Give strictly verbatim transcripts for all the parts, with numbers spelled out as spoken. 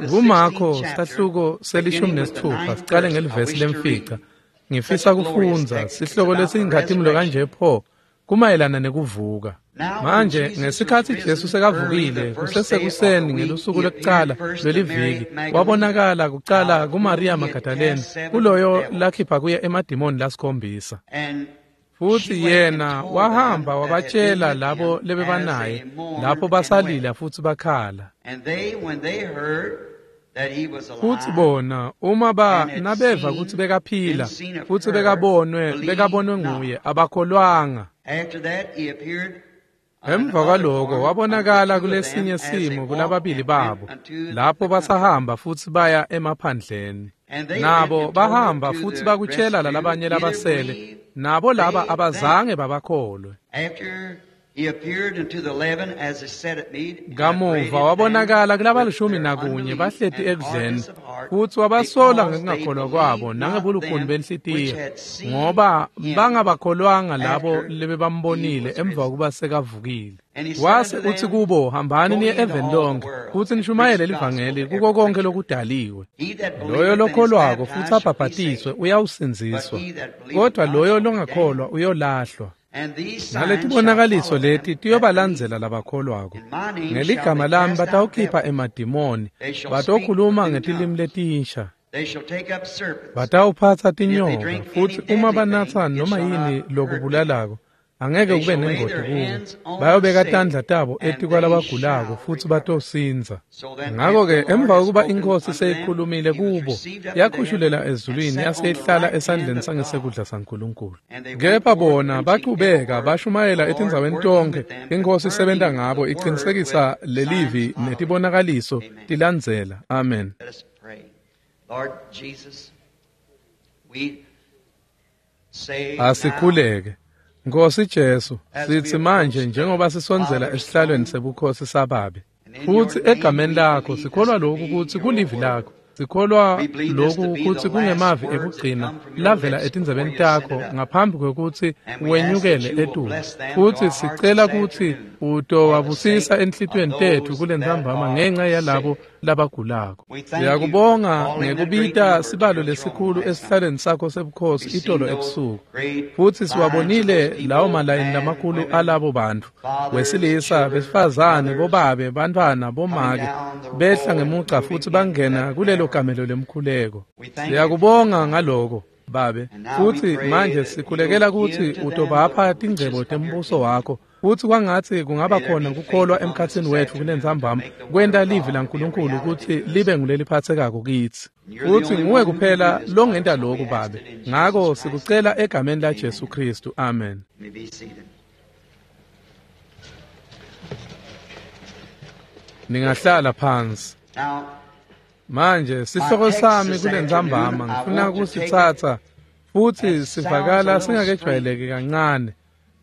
KuMakho sahluko selishumi nesithupha siqale ngelivesi lemfica. Ngifisa kufundza sihloko lesiyinkhatimulo kanje pho kumayelana nekuvuka. Manje ngesikhathi Jesu sekavukile kusesekuseni ngelusuku lwekucala lweliviki wabonakala kucala kuMaria Magdalene kuloyo lakhipha kuye emadimoni lasikhombisa. Futhi yena wahamba wabatshela labo lebebanaye lapho basalila futhi bakhala. Futhi bona uma ba nabeva ukuthi bekaphila futhi bekabonwe bekabonwe nguye abakholwanga. Emva kwaloko wabonakala kulesinye simo kulababili babo lapho basahamba futhi baya emaphandleni. Nabo bahamba futhi bakutshela lalabanye labasele nabo laba abazange babakholwe. Kamuva wabonakala kulabalishumi nakunye bahleti ekudleni futhi wabasola ngekungakholwa kwabo nangebulukhuni benhlitiyo ngoba bangabakholwanga labo lebebambonile emva kokuba sekavukile. Wase uthi kubo, hambani niye eveni lonke futhi nishumayele livangeli kuko konke lokudaliwe. Loyo lokholwako futhi abhabhatiswe uyawusindziswa, kodwa loyo longakholwa uyolahlwa. Naletibonakaliso leti tiyobalandzela labakholwako. Ngeligama lami batawukhipha emadimoni, batokhuluma ngetilimi letinsha, batawuphatsa tinyoka, futhi uma banatsa noma yini lokubulalako angeke kube nengoti kubo. Bayobeka tandla tabo etikwalabagulako futhi batosindza. Ngakho-ke emva kokuba inkosi seyikhulumile kubo yakhushulela ezulwini yaseyihlala esandleni sangesekudla saNkulunkulu. Kepha bona bachubeka bashumayela etindzaweni tonke inkosi isebenta ngabo iqinisekisa lelivi netibonakaliso tilandzela. Amen. Asikhuleke. Nkosi Jesu, sithi manje njengoba sisondzela esihlalweni sebukhosi sababe, futhi egameni lakho sikholwa lokhu ukuthi kulivi lakho, sikholwa lokhu ukuthi kungemavi ekugcina lavela etindzebeni takho ngaphambi kwekuthi wenyukele etulu, futhi sicela ukuthi utowabusisa enhlitiyweni tethu kulentsambama ngenxa yalabo labagulako. Siyakubonga ngekubita sibalo lesikhulu esihlalweni sakho sebukhosi itolo ebusuku, futhi siwabonile lawo malayini lamakhulu alabo bantu wesilisa, besifazane, bobabe, bantwana, bomake behla ngemuca futhi bangena kulelo gamelo lemkhuleko. Siyakubonga ngaloko babe, futhi manje sikhulekela ukuthi utobapha tingcebo tembuso wakho, futhi kwangathi kungaba khona kukholwa emkhathini wethu kulentsambama kwenta livi laNkulunkulu ukuthi libe nguleliphathekako kithi. Futhi nguwe kuphela longenta lokhu babe, ngako sikucela egameni la Jesu Kristu. Amen. Ningahlala phansi. Manje sihloko sami kulentsambama ngifuna kusitsatsa futhi sivakala singakejwayeleki kancane,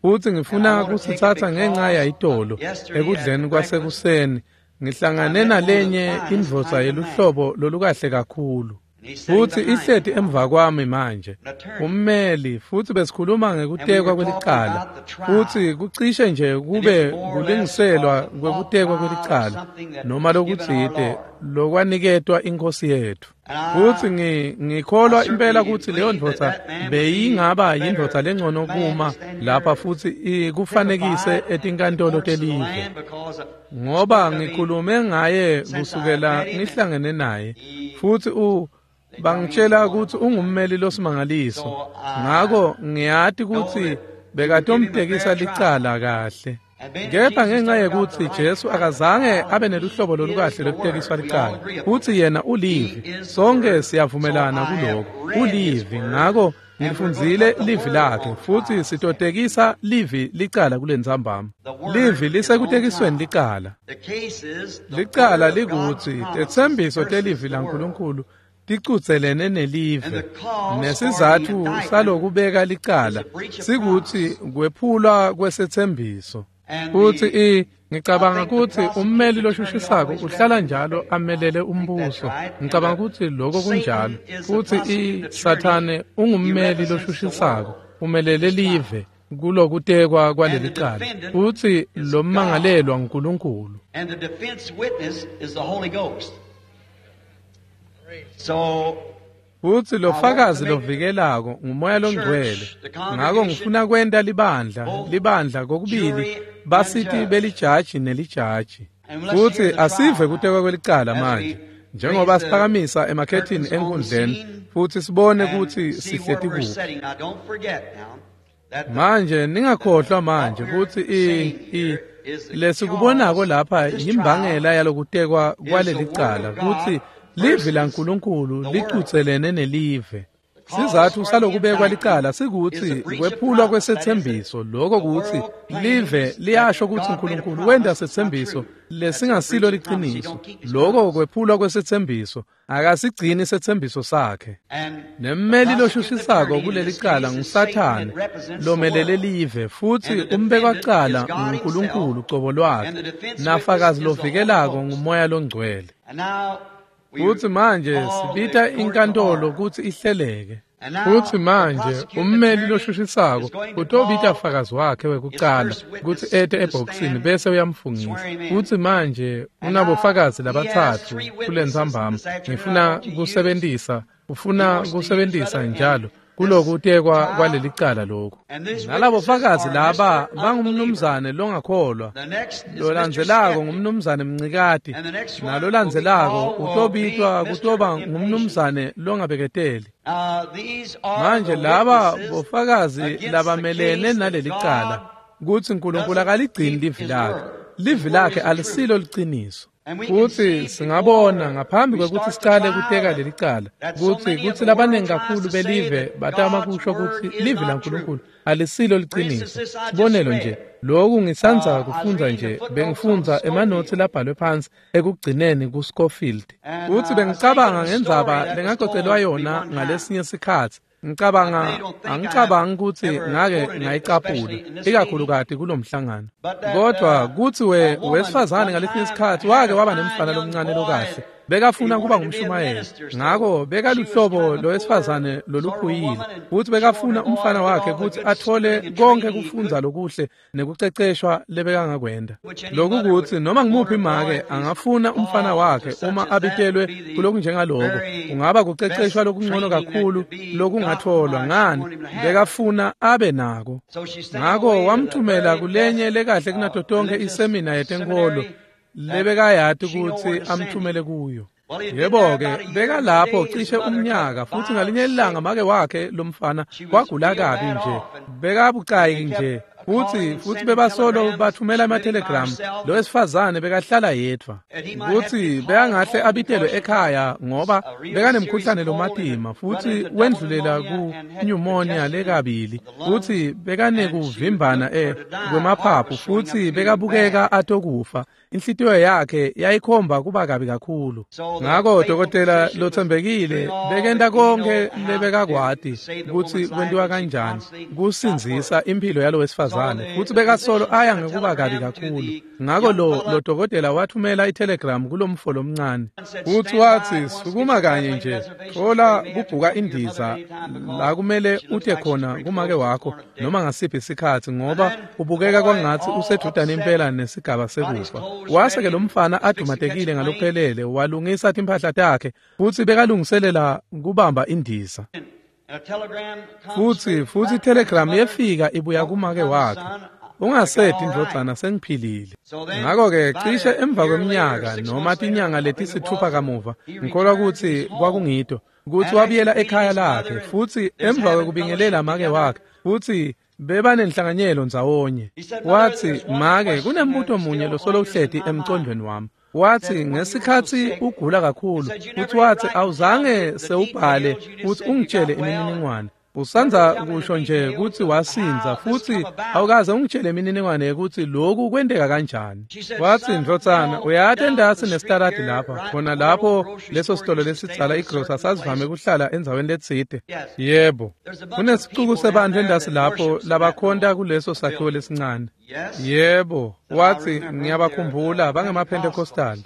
futhi ngifuna kusitsatsa ngenxa yayitolo ekudleni kwasekuseni ngihlangane nalenye indvodza yeluhlobo lolukahle kakhulu, futhi ihleti emva kwami manje ummeli, futhi besikhuluma ngekutekwa kwelicala, futhi kucishe nje kube kulingiselwa kwekutekwa kwelicala noma lokutsite lokwaniketwa inkosi yethu. Futhi ngikholwa impela ukuthi leyo ndvodza beyingaba yindvodza lengcono kuma lapha futhi ikufanekise etinkantolo telive, ngoba ngikhulume ngaye kusukela ngihlangene naye, futhi u bangitshela ukuthi ungummeli losimangaliso, ngako ngiyati ukuthi bekatomtekisa licala kahle. Kepha ngenxa yekuthi Jesu akazange abe neluhlobo lolukahle lokutekiswa licala, futhi yena ulivi, sonke siyavumelana kuloko, ulivi. Ngako ngifundzile livi lakhe futhi sitotekisa livi licala kulentsambama. Livi lisekutekisweni licala. Licala likuthi tetsembiso telivi laNkulunkulu ticutselene nelive, nesizatfu salokubeka licala sikuthi kwephulwa kwesethembiso. Futhi i ngicabanga ukuthi ummeli loshushisako uhlala njalo amelele umbuso. Ngicabanga ukuthi lokho kunjalo. Futhi i Sathane ungummeli loshushisako, umelele live kulokutekwa kwaleli cala, futhi lo mmangalelwa nguNkulunkulu. And the defense witness is the Holy Ghost. Futsi lofakazi lovikelako ngumoya longcwele. Ngako ngifuna kwenta libandla, libandla kokubili basiti belijaji nelijaji. Futsi asive kutekwa kwelicala manje, njengoba siphakamisa emakhethini enkundleni futsi sibone kutsi sihleti kuphi. Manje ningakhohlwa manje kutsi i i lesikubonako lapha yimbangela yalokutekwa kwalelicala kutsi livi laNkulunkulu licutselene nelive. Sizatfu salokubekwa licala sikutsi kwephulwa kwesetsembiso, lokho kutsi live liyasho kutsi uNkulunkulu wenta setsembiso lesingasilo liciniso. Lokho kwephulwa kwesetsembiso, akasigcini setsembiso sakhe. Nemmeli loshushisako kulelicala nguSathane lomelele live, futsi umbekwacala nguNkulunkulu cobo lwakhe, nafakazi lovikelako ngumoya longcwele. Futsi manje sibita inkantolo kutsi ihleleke. Futsi manje ummeli loshushisako utobita fakazi wakhe wekucala kutsi ete ebhokisini bese uyamfungisa. Futsi manje unabofakazi labatsatfu kulentsambama. Ngifuna kusebentisa, ufuna kusebentisa njalo kulokutekwa kwalelicala lokhu. Nalabo fakazi laba bangumnumzane longakholwa, lolandzelako ngumnumzane Mncikati, nalolandzelako utobitwa kutoba ngumnumzane longabeketeli. Manje laba bofakazi labamelene nalelicala kutsi uNkulunkulu akaligcini livi lakhe. Livi lakhe alisilo liciniso. Futsi singabona ngaphambi kwekutsi sicale kuteka lelicala kutsi kutsi labanengi kakhulu belive batama kusho kutsi livi laNkulunkulu alisilo liciniso. Sibonelo nje, lokhu ngisandza kufundza nje, bengifundza emanotsi labhalwe phansi ekugcineni kuScofield. Futsi bengicabanga ngendzaba lengacocelwa yona ngalesinye sikhatsi. Ngicabanga angicabangi kutsi ngake ngayicaphula ikakhulukati kulomhlangano. Kodwa kutsi we wesifazane ngalesinye isikhatsi wake waba nemfana lomncane lokahle, bekafuna kuba ngumshumayeli. Ngako bekaluhlobo lowesifazane loluphuyile, futsi bekafuna umfana wakhe kutsi athole konke kufundza lokuhle nekuceceshwa lebekangakwenta. Lokhu kutsi noma ngimuphi make angafuna umfana wakhe uma abitelwe kulokunjengaloko, kungaba kuceceshwa lokungcono kakhulu lokungatholwa ngani, bekafuna abe nako. Ngako wamthumela kulenye lekahle kunato tonke isemina yetenkholo lebekayati kutsi amthumele kuyo. Yebo-ke, bekalapho cishe umnyaka, futsi ngalinye ilanga make wakhe lomfana wagula kabi nje, bekabucayi nje, futsi futsi bebasolo bathumela emathelegramu. Lo wesifazane bekahlala yedvwa, kutsi bekangahle abitelwe ekhaya ngoba bekanemkhuhlane lomatima, futsi wendlulela ku-pneumonia lekabili, futsi bekanekuvimbana e kwemaphaphu, futsi bekabukeka atokufa. Inhlitiyo yakhe yayikhomba kuba kabi kakhulu. Ngako dokotela lothembekile bekenta konke lebekakwati kutsi kwentiwa kanjani kusindzisa impilo yalo wesifazane, futsi bekasolo aya ngekuba kabi kakhulu. Ngako lo lo dokotela wathumela itelegram kulomfo lomncane, futsi watsi sukuma kanye nje, thola kubhuka indiza la kumele ute khona kumake wakho noma ngasiphi isikhatsi, ngoba ubukeka kwangatsi usedudane impela nesigaba sekufa. Wase-ke lo mfana adumatekile ngalokuphelele, walungisa timphahla takhe futsi bekalungiselela kubamba indiza. Futsi futsi itelegram yefika ibuya kumake wakhe, ungasedi ndvodzana, sengiphilile. Ngako-ke cishe emva kweminyaka noma tinyanga letisithupha kamuva, ngikholwa kutsi kwakungito kutsi wabuyela ekhaya lakhe, futsi emva kwekubingelela make wakhe, futsi bebanenhlanganyelo ndzawonye. Watsi, make, kunembuto munye losolo uhleti emcondvweni wami. Watsi, ngesikhatsi ugula kakhulu, futsi watsi awuzange sewubhale futsi ungitshele imininingwane. Usandza kusho nje kutsi wasindza, futsi awukaze ungitshele imininingwane yekutsi lokhu kwenteka kanjani. Watsi, ndvodzana, uyati entasi nesitaladi lapha, khona lapho leso sitolo lesidzala igrosa sasivame kuhlala endzaweni letsite. Yebo, kunesicuku sebantfu entasi lapho labakhonta kuleso sakhiwo lesincane. Yebo, watsi, ngiyabakhumbula bangemaPentecostal.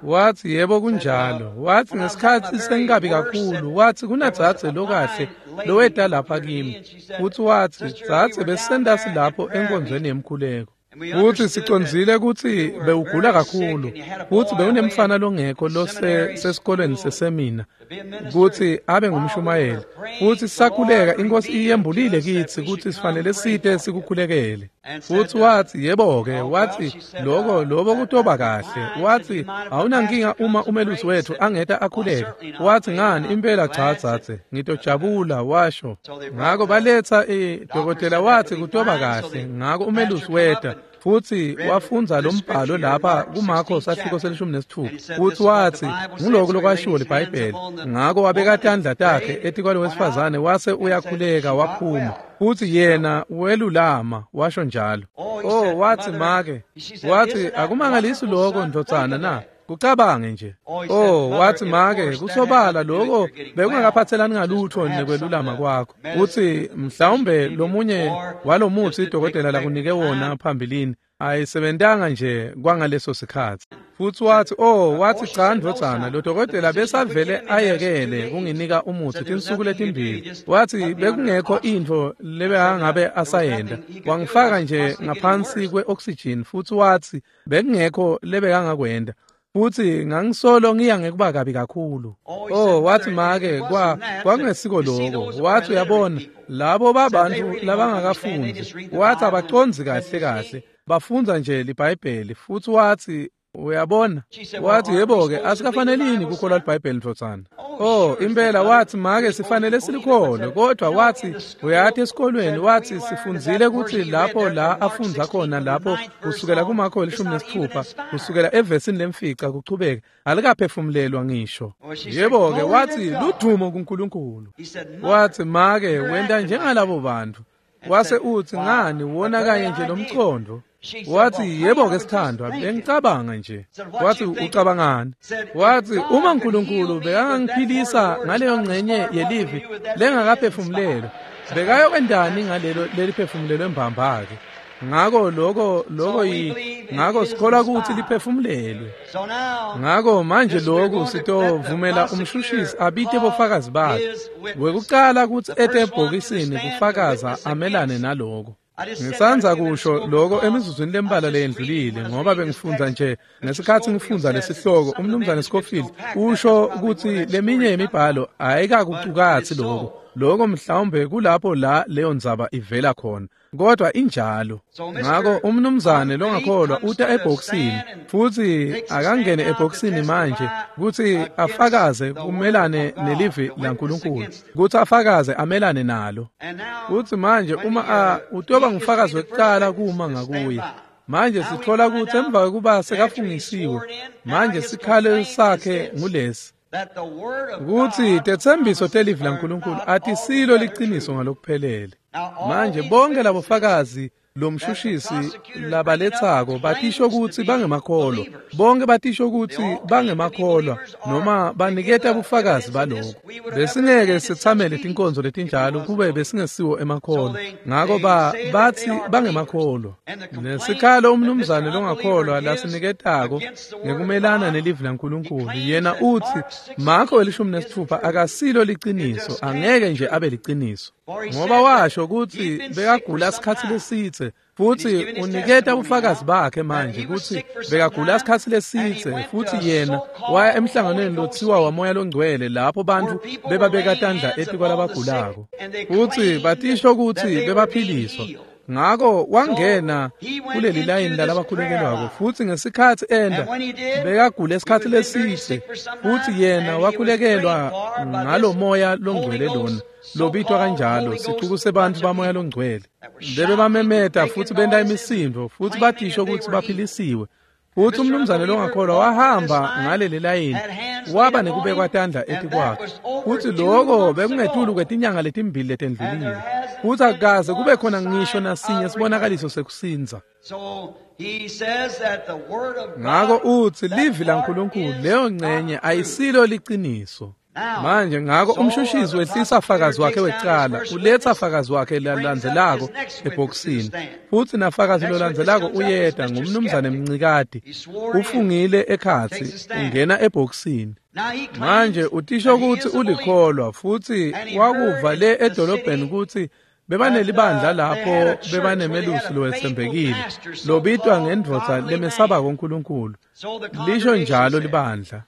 Watsi, yebo kunjalo. Watsi, ngesikhatsi sengabi kakhulu, watsi kunadzadze lokahle loweta lapha kimi. Futsi watsi, dzadze besentasi lapho enkonzweni yemkhuleko. Futsi sicondzile kutsi bewugula kakhulu, futsi bewunemfana longekho losesikolweni sesemina kutsi abe ngumshumayeli. Futsi sisakhuleka, iNkosi iyembulile kitsi kutsi sifanele site sikukhulekele. Futsi watsi, yebo-ke, watsi, loko lobo kutoba kahle. Watsi, awunankinga uma umelusi wethu angeta akhuleke. Watsi, ngani, impela cha dzadze, ngitojabula, washo. Ngako baletsa idokotela, watsi kutoba kahle. Ngako umelusi weta futsi wafundza lo mbhalo lapha kuMarko sahluko selishumi nesitfupha. Futsi watsi nguloko lokwashiwo liBhayibheli. Ngako wabeka tandla takhe etikwalo wesifazane wase uyakhuleka waphuma. Futsi yena welulama, washo njalo. Oh, watsi make, watsi akumangalisi loko ndvodzana na? Kucabange nje. Oh, wathi make, kusobala lokho bekungakaphathelani ngalutho nekwelulama kwakho. Uthi mhlawumbe lomunye walomuthi idokotela lakunike wona phambilini ayisebentanga nje kwangaleso sikhathi. Futsi wathi, oh, wathi cha ndvodzana, lo dokotela besavele ayekele kunginika umuthi tinsuku letimbili. Wathi bekungekho intfo lebekangabe asayenda. Wangifaka nje ngaphansi kwe-oxygen, futsi wathi bekungekho lebekangakwenda. Futsi ngangisolo ngiya ngekuba kabi kakhulu. Oh, wathi make, kwa kwakungesiko lokho. Wathi uyabona, labo babantu labangakafundi, wathi abacondzi kahle kahle, bafundza nje liBhayibheli. Futsi wathi uyabona, wathi yebo-ke, asikafanelini kukholwa liBhayibheli ndvodzana. Oh, impela, wathi make, sifanele silikholwe, kodwa wathi uyati esikolweni, wathi sifundzile kutsi lapho la afundza khona lapho kusukela kuMarko elishumi nesitfupha kusukela evesini lemfica kuchubeka alikaphefumulelwa ngisho. Yebo-ke, wathi ludumo kuNkulunkulu. Wathi make, wenta njengalabo bantu. Wase uthi ngani wona kanye nje lomcondo. Wathi yebo-ke sithandwa, bengicabanga nje. Wathi ucabangani? Wathi uma uNkulunkulu bekangangiphilisa ngaleyo ngcenye yelivi lengakaphefumulelwa, bekayokwendani ngalelo leliphefumulelwe mbamba-ke? Ngako lokho lokho yi ngako sikholwa ukuthi liphefumulelwe. Ngako manje lokhu sitovumela umshushisi abite bofakazi bakhe. Wekucala kutsi ete ebhokisini kufakaza amelane naloko. Ngisandza kusho lokho emizuzwini lembalwa leyendlulile, ngoba bengifundza nje ngesikhathi ngifundza lesihloko, umnumzane Scofield usho ukuthi leminye yemibhalo ayikakucukatsi lokho. Lokho mhlawumbe kulapho la leyo ndzaba ivela khona, kodwa injalo. Ngako umnumzane longakholwa uta ebhokisini, futsi akangene ebhokisini manje kutsi afakaze kumelane nelivi laNkulunkulu, kutsi afakaze amelane nalo. Kutsi manje uma utoba ngufakazi wekucala kuma ngakuye. Manje sithola kutsi emva kwekuba sekafungisiwe, manje sikhalo sakhe ngulesi, kutsi tetsembiso telivi laNkulunkulu atisilo liciniso ngalokuphelele. Manje bonke labofakazi lomshushisi labaletsako batisho kutsi bangemakholwa, bonke batisho kutsi bangemakholwa noma baniketa bufakazi baloko. Besingeke sitsamele tinkonzo letinjalo kube besingesiwo emakholwa. Ngako ba bathi bangemakholwa. Nesikhalo umnumzane longakholwa lasiniketako ngekumelana nelivi laNkulunkulu, yena uthi Marko elishumi nesitfupha akasilo liciniso, angeke nje abe liciniso. Ngoba washo kutsi bekagula sikhatsi lesidze, futsi uniketa bufakazi bakhe manje kutsi bekagula sikhatsi lesidze, futsi yena waya emhlanganweni lotsiwa waMoya loNgcwele lapho bantfu bebabeka tandla etikwalabagulako, futsi batisho kutsi bebaphiliswa. Ngako wangena kuleli layini lalabakhulekelwako, futsi ngesikhatsi enda bekagula isikhatsi lesidze, futsi yena wakhulekelwa ngalo Moya loNgcwele lona lobitwa kanjalo, sicuku sebantfu baMoya loNgcwele bebamemeta futsi benta imisindvo futsi batisho kutsi baphilisiwe. Futsi umnumzane longakholwa wahamba ngaleli layini waba nekubekwa tandla etikwakhe, futsi lokho bekungetulu kwetinyanga letimbili letendlulile, futsi akukaze kube khona ngisho nasinye sibonakaliso sekusindza. Ngako utsi livi laNkulunkulu leyo ngcenye ayisilo liciniso. Manje ngako umshushisi wehlisa fakazi wakhe wekucala, uletsa fakazi wakhe lalandzelako ebhokisini, futsi nafakazi lolandzelako uyeta ngumnumzane Mncikati, ufungile ekhatsi, ungena ebhokisini. Manje utisho kutsi ulikholwa, futsi wakuva le edolobheni kutsi Bebanelibandla lapho bebanemelusi lowetsembekile lobitwa ngendvodza lemesabako uNkulunkulu. Lisho njalo libandla.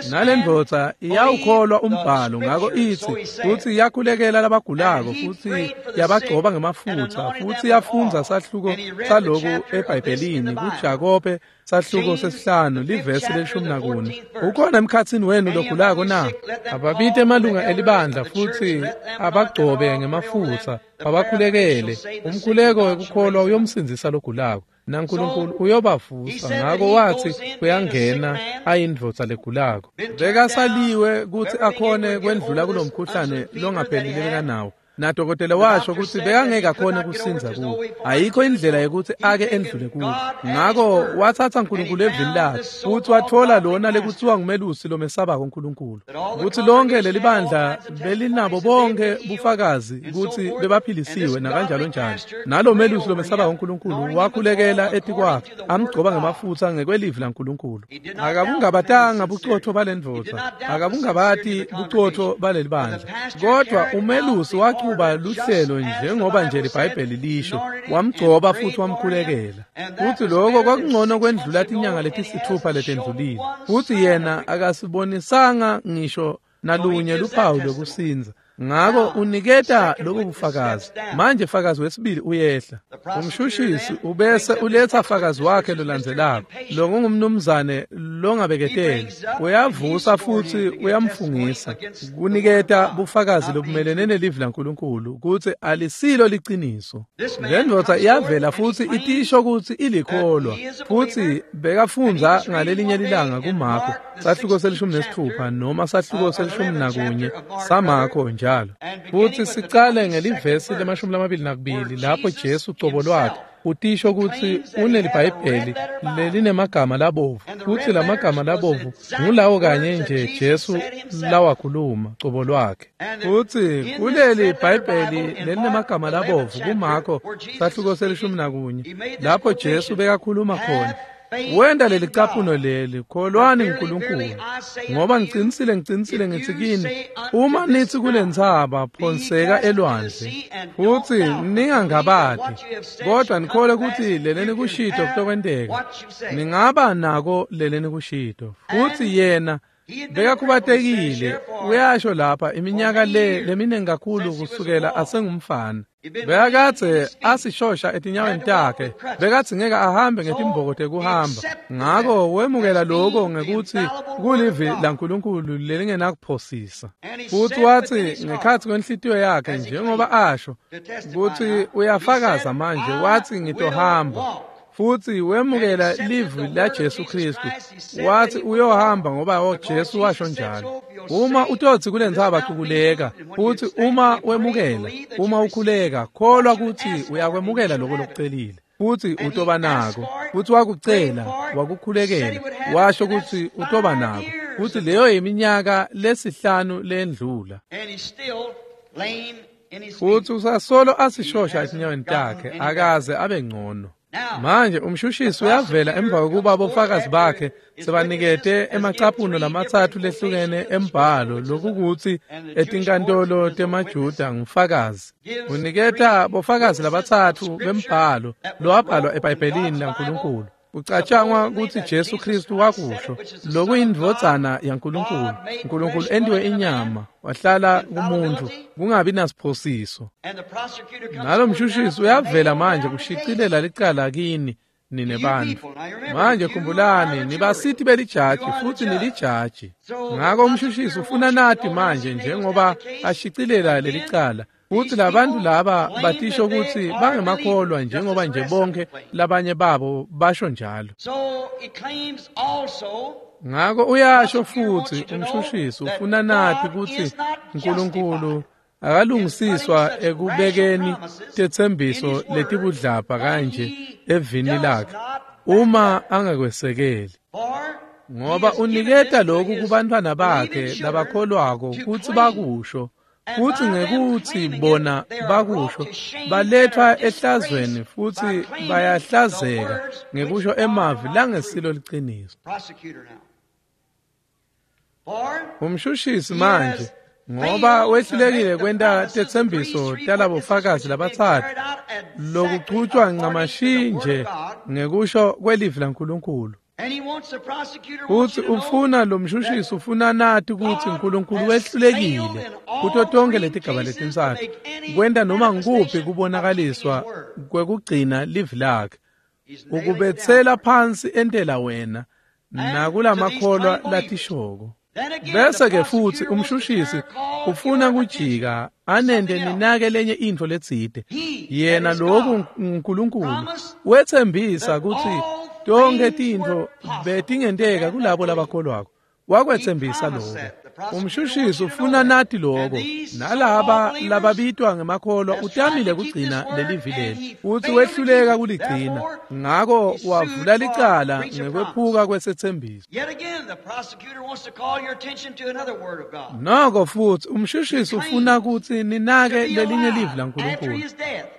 Nalendvodza iyawukholwa umbhalo, ngako itsi futsi yakhulekela labagulako futsi yabagcoba ngemafutsa futsi yafundza sahluko saloku eBhayibhelini kuJakobe sahluko sesihlanu livesi lelishumi nakune. Ukhona emkhatsini wenu logulako na? Ababite emalunga elibandla futsi abagcobe ngemafutsa babakhulekele. Umkhuleko wekukholwa uyomsindzisa logulako, naNkulunkulu uyobavusa. Ngako watsi uyangena ayindvodza legulako. Bekasaliwe kutsi akhone kwendlula kulomkhuhlane longaphelile bekanawo. Nadokotela washo kutsi bekangeke akhone kusindza kuwo. Ayikho indlela yekutsi ake endlule kuwo. Ngako watsatsa uNkulunkulu evini lakhe futsi watfola lona lekutsiwa ngumelusi lomesabako uNkulunkulu. Kutsi lonke lelibandla belinabo bonke bufakazi kutsi bebaphilisiwe nakanjalo njalo. Nalo melusi lomesabako uNkulunkulu wakhulekela etikwakhe amgcoba ngemafutsa ngekwelivi laNkulunkulu. Akabungabatanga bucotfo balendvodza, akabungabati bucotfo balelibandla. Kodwa umelusi wachuba luhlelo njengoba nje liBhayibheli lisho, wamgcoba futhi wamkhulekela. Futhi lokho kwakungcono kwendlula tinyanga letisithupha letendlulile. Futhi yena akasibonisanga ngisho nalunye luphawu lokusindza. Ngako uniketa lobu bufakazi. Manje fakazi wesibili uyehla. Umshushisi ubese uletha fakazi wakhe lolandzelako, lokungumnumzane longabeketeli. Uyavusa futhi uyamfungisa kuniketa bufakazi lobumelene nelivi laNkulunkulu kutsi alisilo liciniso. Lendvodza iyavela futsi itisho kutsi ilikholwa, futsi bekafundza ngalelinye lilanga kuMarko sahluko selishumi nesitfupha noma sahluko selishumi nakunye saMarko njalo. Futsi sicale ngelivesi lemashumi lamabili nakubili lapho Jesu cobo lwakhe utisho kutsi uneliBhayibheli lelinemagama labovu, futsi lamagama labovu ngulawo kanye nje Jesu lawakhuluma cobo lwakhe. Futsi kuleli Bhayibheli lelinemagama labovu kuMarko sahluko selishumi nakunye lapho Jesu bekakhuluma khona, wenda leli caphuno leli, kholwani uNkulunkulu, ngoba ngicinisile ngicinisile ngithi kini, uma nithi kulentsaba phonseka elwandle, futhi ningangabati kodwa nikholwe kutsi leleni kushito kutokwenteka, ningaba nako leleni kushito. Futhi yena bekakhubatekile, uyasho lapha iminyaka le leminingi kakhulu kusukela asengumfana. Bekakadze asishosha etinyaweni takhe, bekatsi ngeke ahambe ngetimboko tekuhamba. Ngako wemukela lokho ngekutsi kulivi laNkulunkulu lelingenakuphosisa. Futhi watsi ngekhatsi kwenhlitiyo yakhe njengoba asho kutsi uyafakaza manje, watsi ngitohamba. Futhi wemukela livi la Jesu Kristu, wathi uyohamba ngoba Jesu washo njalo. Uma utotsi kulentsaba cukuleka, futhi uma wemukela, uma ukhuleka, kholwa kutsi uyakwemukela lokho lokucelile, futhi utoba nako. Futhi wakucela, wakukhulekela, washo kutsi utoba nako. Futhi leyo iminyaka lesihlanu lendlula. Futhi usasolo asishosha etinyaweni takhe, akaze abe ngcono. Manje umshushisi uyavela emva kokuba bofakazi bakhe sebanikete emacaphuno lamatsatfu lehlukene embhalo lokukutsi etinkantolo temaJuda ngufakazi. Uniketa bofakazi labatsatfu bembhalo lowabhalwa eBhayibhelini laNkulunkulu. Kucatshangwa kutsi Jesu Kristu wakusho lokuyindvodzana yaNkulunkulu. uNkulunkulu entiwe inyama wahlala kumuntu kungabi nasiphosiso. Nalo mshushisi uyavela manje kushicilela licala kini nine bantfu. Manje khumbulani nibasiti belijaji futhi nilijaji. Ngako umshushisi ufuna nati manje njengoba ashicilela lelicala. Futhi labantu laba batisho kutsi bangemakholwa njengoba nje bonke labanye babo basho njalo. Ngako uyasho futhi umshushisi ufuna nati kutsi uNkulunkulu akalungisiswa ekubekeni tetsembiso letibudlabha kanje evini lakhe uma angakwesekeli. Ngoba uniketa lokhu kubantwana bakhe labakholwako kutsi bakusho, futhi ngekuthi bona bakusho balethwa ehlazweni futhi bayahlazeka ngekusho emavi langesilo liciniso. Umshushisi manje Ngoba wehlulekile kwenta tetsembiso talabofakazi labatsatfu lokuchutjwa ncamashi nje ngekusho kwelivi laNkulunkulu. Futsi ufuna lo mshushisi ufuna nati kutsi uNkulunkulu wehlulekile kuto tonkhe letigaba letintsatfu kwenta noma ngukuphi kubonakaliswa kwekugcina livi lakhe. Ukubetsela phansi entela wena nakulamakholwa latishoko. Bese ke futsi umshushisi ufuna kujika anende ninake lenye intfo letsite. Yena loku uNkulunkulu wetsembisa kutsi tonke tintfo betingenteka kulabo labakholwako. Wakwetsembisa lokho. Umshushisi ufuna nati lokho nalaba lababitwa ngemakholwa utamile kugcina lelivi leli futsi wehluleka kuligcina, ngako wavula licala ngekwephuka kwesethembiso. Noko futsi umshushisi ufuna kutsi ninake lelinye livi laNkulunkulu.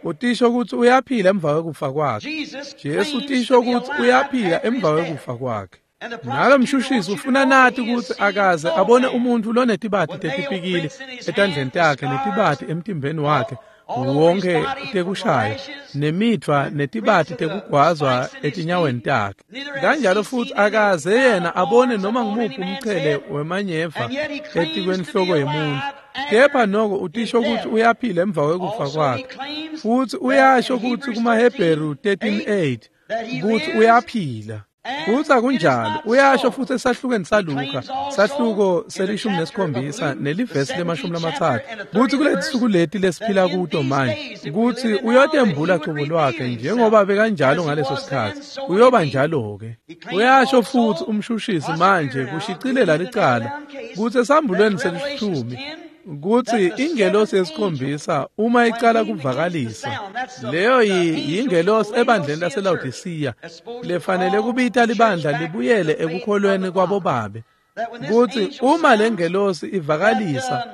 Utisho kutsi uyaphila emva kwekufa kwakhe. Jesu utisho kutsi uyaphila emva kwekufa kwakhe. Nalo mshushisi ufuna nati kutsi akaze abone umuntfu lonetibati tetipikili etandleni takhe netibati emtimbeni wakhe wonke tekushaya nemitfwa netibati tekugwazwa etinyaweni takhe. Kanjalo futsi akaze yena abone noma ngumuphi umchele wemanyeva etikwenhloko yemuntfu. Kepha noko utisho kutsi uyaphila emva kwekufa kwakhe. Futsi uyasho kutsi kumaHebheru thirteen eight kutsi uyaphila. Futsi akunjalo, uyasho futsi esahlukweni saLuka, sahluko selishumi nesikhombisa nelivesi lemashumi lamatsatfu, kutsi kuletinsuku leti lesiphila kuto manje, kutsi uyotembula cobo lwakhe njengoba bekanjalo ngaleso sikhatsi, uyoba njalo-ke. Uyasho futsi umshushisi manje kushicilela licala, kutsi esambulweni selishumi, kutsi ingelosi yesikhombisa uma icala kuvakalisa, leyo yingelosi ebandleni laseLawodisiya lefanele kubita libandla libuyele ekukholweni kwabobabe, kutsi uma lengelosi ivakalisa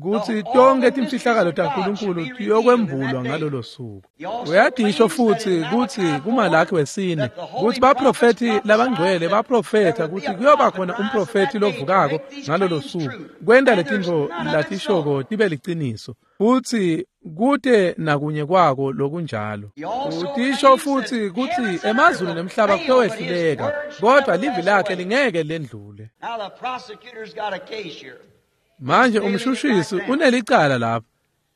kutsi tonke timfihlakalo taNkulunkulu tiyokwembulwa ngalolo suku. Uyadisho futsi kutsi kuMalakhi wesine kutsi baprofethi labangcwele baprofetha kutsi kuyoba khona umprofethi lovukako ngalolo suku kwenta letintfo latishoko tibe liciniso, futsi kute nakunye kwako lokunjalo. Utisho futsi kutsi emazulu nemhlaba kuyowehluleka, kodwa livi lakhe lingeke lendlule. Manje umshushisi unelicala lapha.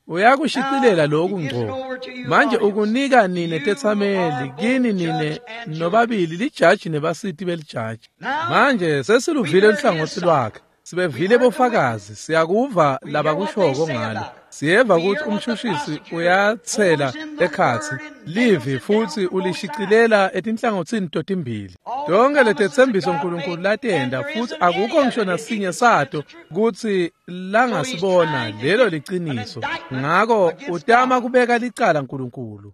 Uyakushicilela lokhu ngco. Manje ukunika nine tetsameli, kini nine nobabili lijaji nebasiti belijaji. Manje sesiluvile luhlangotsi lwakhe. Sibevile bofakazi, siyakuva labakushoko ngalo. Siyeva ukuthi umshushisi uyatsela ekhatsi livi futsi ulishicilela etinhlangotsini totimbili. Tonke letetsembiso uNkulunkulu latenda futsi akukho ngisho nasinye sato kutsi langasibona lelo liciniso. Ngako utama kubeka licala uNkulunkulu.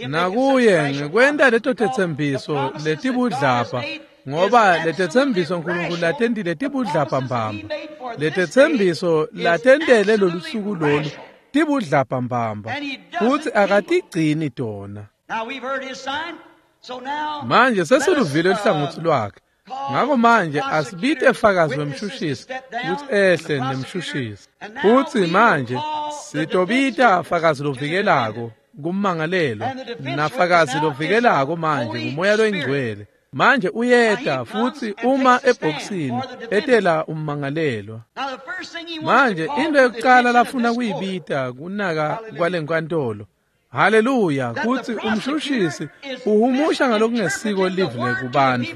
Nakuye ngekwenta leto tetsembiso letibudlapha, ngoba letetsembiso uNkulunkulu latentile tibudlapha mbamba. Letetsembiso latentele lolusuku lolu tibudlapha mbamba, futsi akatigcini tona. Manje sesiluvile luhlangotsi lwakhe. Ngako manje asibite fakazi wemshushisi kutsi ehle nemshushisi. Futsi manje sitobita fakazi lovikelako kummangalelwa nafakazi lovikelako manje nguMoya loyiNgcwele. Manje uyeta futsi uma ebhokisini etela ummangalelwa. Manje into yokuqala lafuna kuyibita kunaka kwalenkantolo. Haleluya, kutsi umshushisi uhumusha ngalokungesiko livi lekubantfu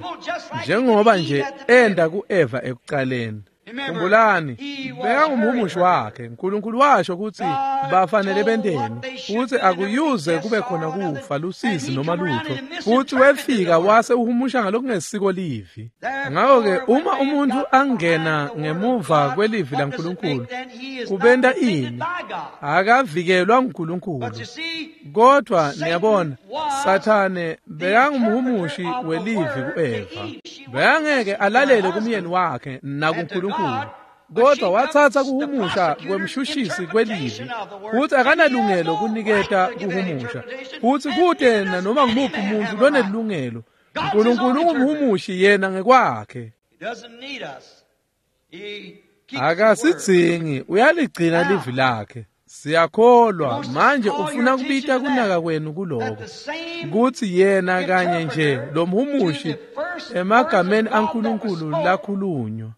njengoba nje enda kuEva ekuqaleni. Khumbulani, bekangumhumushi wakhe. uNkulunkulu washo kutsi bafanele benteni, futsi akuyuze kube khona kufa, lusizi noma lutho. Futsi wefika wase uhumusha ngalokungesiko livi. Ngako-ke uma umuntu angena ngemuva kwelivi laNkulunkulu, kubenta ini? Akavikelwa nguNkulunkulu. Kodwa niyabona, Sathane bekangumhumushi welivi kuEva. Bekangeke alalele kumyeni wakhe nakuNkulunkulu, kodwa wathatha kuhumusha kwemshushisi kwelivi, futsi akanalungelo kuniketa kuhumusha, futsi kute nanoma ngumuphi umuntu lonelungelo. uNkulunkulu ungumhumushi yena ngekwakhe. Akasidzingi, uyaligcina livi lakhe. Siyakholwa. Manje ufuna kubita kunaka kwenu kuloko, kutsi yena kanye nje lomhumushi emagameni aNkulunkulu lakhulunywa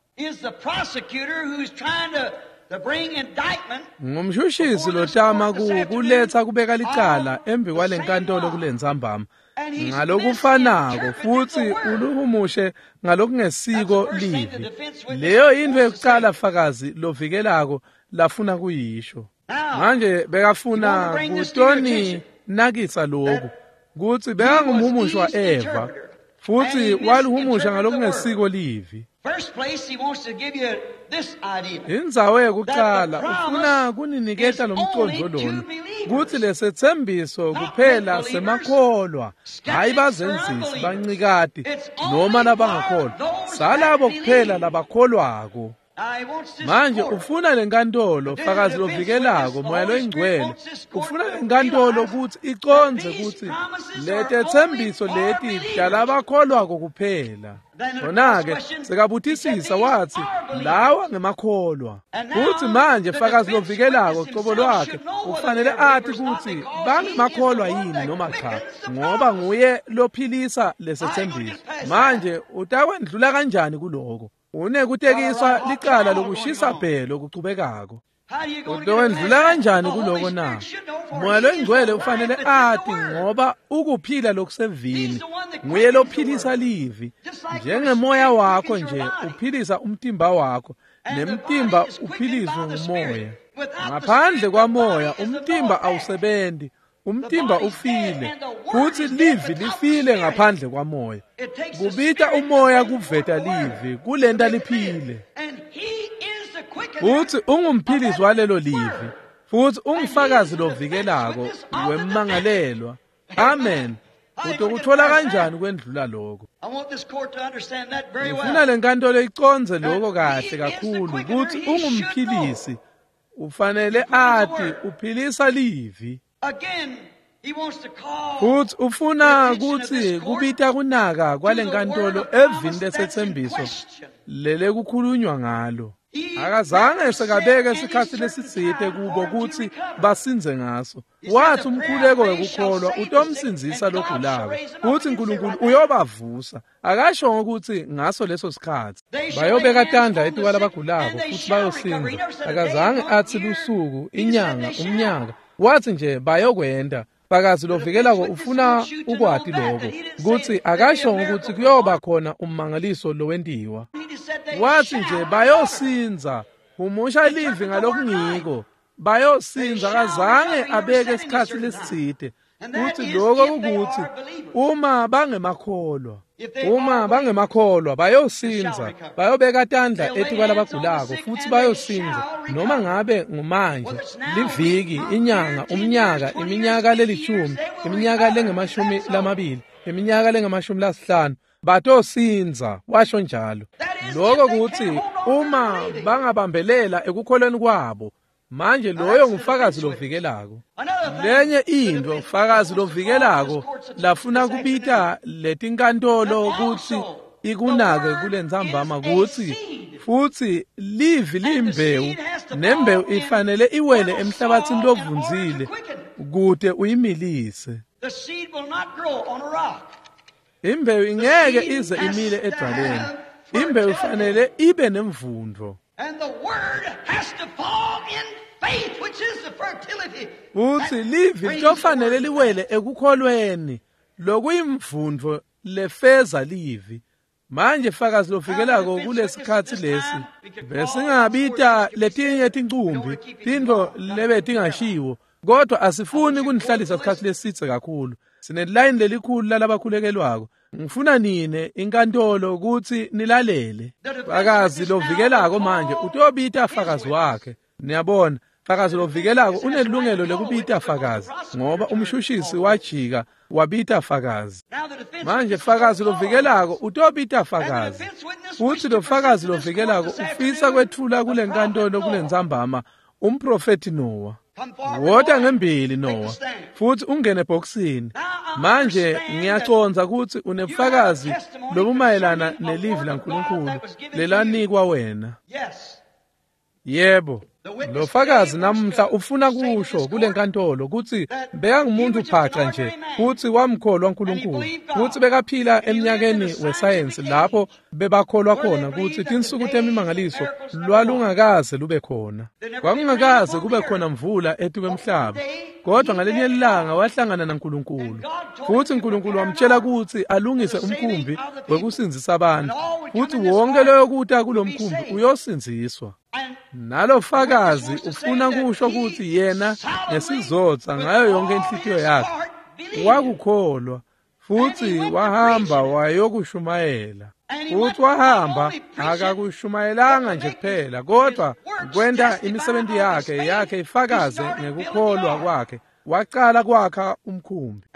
ngumshushisi lotama kuletsa kubeka licala embi kwalenkantolo kulentsambama ngalokufanako, futsi uluhumushe ngalokungesiko livi. Leyo yintfo yekucala fakazi lovikelako lafuna kuyisho. Manje bekafuna kutoni nakisa lokhu kutsi bekangumhumushi wa-Eva, futsi waluhumusha ngalokungesiko livi. Indzawo yekucala ufuna kuniniketa lomcondvo lona kutsi lesetsembiso kuphela semakholwa, hayi bazenzisi, bancikati noma labangakholwa, salabo kuphela labakholwako. Manje ufuna lenkantolo, fakazi lovikelako, Moya loyiNgcwele, ufuna lenkantolo kutsi icondze kutsi letetsembiso leti talabakholwako kuphela. Khona-ke sekabutisisa watsi lawa ngemakholwa. Futsi manje fakazi lovikelako cobo lwakhe ufanele ati kutsi bangemakholwa yini noma cha, ngoba nguye lophilisa lesetsembiso. Manje utakwendlula kanjani kuloko? Unekutekiswa licala lokushisa bhe lokuchubekako. Utowendlula kanjani kuloko na? Moya loyiNgcwele ufanele ati, ngoba ukuphila lokusevini nguye lophilisa livi. Njengemoya wakho nje uphilisa umtimba wakho, nemtimba uphiliswe ngumoya. Ngaphandle kwamoya umtimba awusebenti, umtimba ufile, futsi livi lifile ngaphandle kwamoya. Kubita umoya kuveta livi, kulenta liphile. Futsi ungumphilisi walelo livi, futsi ungufakazi lovikelako wemmangalelwa. Amen. Utokuthola kanjani kwendlula lokho? Ngifuna lenkantolo icondze lokho kahle kakhulu, kutsi ungumphilisi, ufanele ati uphilisa livi. Futsi ufuna kutsi kubita kunaka kwalenkantolo evini lesetsembiso lelekukhulunywa ngalo. Akazange sekabeke sikhatsi lesitsite kubo kutsi basindze ngaso. Wathi umkhuleko wekukholwa utomsindzisa logulako, kutsi Nkulunkulu uyobavusa. Akasho ukuthi ngaso leso sikhatsi bayobeka tandla etikwalabagulako futsi bayosindza. Akazange athi lusuku, inyanga, umnyaka. Wathi nje bayokwenda. Fakazi lovikelako ufuna ukwati lokho, kutsi akasho ukuthi kuyoba khona ummangaliso lowentiwa. Wathi nje bayosindza. Humusha livi ngalokungiko, bayosindza. Akazange abeke isikhatsi lesitsite. Kuthi lokho kukuthi uma bangemakholwa, uma bangemakholwa bayosindza, bayobeka tandla etikwalabagulako futsi bayosindza, noma ngabe ngumanje, liviki, inyanga, umnyaka, iminyaka lelishumi, iminyaka lengemashumi lamabili, iminyaka lengemashumi lasihlanu, batosindza, washo njalo. Lokho kuthi uma bangabambelela ekukholweni kwabo. Manje loyo ngufakazi lovikelako. Lenye into fakazi lovikelako lafuna kubita letinkantolo kutsi ikunake kulentsambama kutsi futsi livi liyimbewu, nembewu ifanele iwele emhlabathini lovundzile kute uyimilise. Imbewu ingeke ize imile edwaleni. Imbewu ifanele ibe nemvundo. Futsi livi litofanele liwele ekukholweni lokuyimvundvo lefeza livi. Manje fakazi lovikelako kulesikhatsi lesi besingabita letinye tincumbi tintfo lebetingashiwo, kodwa asifuni kunihlalisa isikhatsi lesitse kakhulu. Sinelayini lelikhulu lalabakhulekelwako. Ngifuna nine inkantolo kutsi nilalele. Fakazi lovikelako manje utobita fakazi wakhe. Niyabona, fakazi lovikelako unelungelo lekubita fakazi, ngoba umshushisi wajika wabita fakazi. Manje fakazi lovikelako utobita fakazi, futsi lo fakazi lovikelako ufisa kwetfula kulenkantolo kulentsambama umprofeti Noah. Wota ngembili Noah, futsi ungene ebhokisini. Manje ngiyacondza kutsi unebufakazi lobumayelana nelivi laNkulunkulu lelanikwa wena. Yebo, lo fakazi namuhla ufuna kusho kule nkantolo kutsi bekangumuntu phaca nje futsi wamkholwa uNkulunkulu futsi bekaphila eminyakeni wesayensi lapho bebakholwa khona kutsi tinsuku temimangaliso lwalungakaze lube khona. Kwakungakaze kube khona mvula etikwemhlaba, kodwa ngalinye ilanga wahlangana naNkulunkulu futsi uNkulunkulu wamtshela kutsi alungise umkhumbi wekusindzisa abantu futsi wonke loyokuta kulomkhumbi uyosindziswa. Nalo fakazi ufuna kusho kutsi yena ngesizotsa ngayo yonke inhlitiyo yakhe wakukholwa futsi wahamba wayokushumayela. Futsi wahamba akakushumayelanga nje kuphela, kodwa kwenta imisebenti yakhe yakhe ifakaze ngekukholwa kwakhe. Wacala kwakha umkhumbi.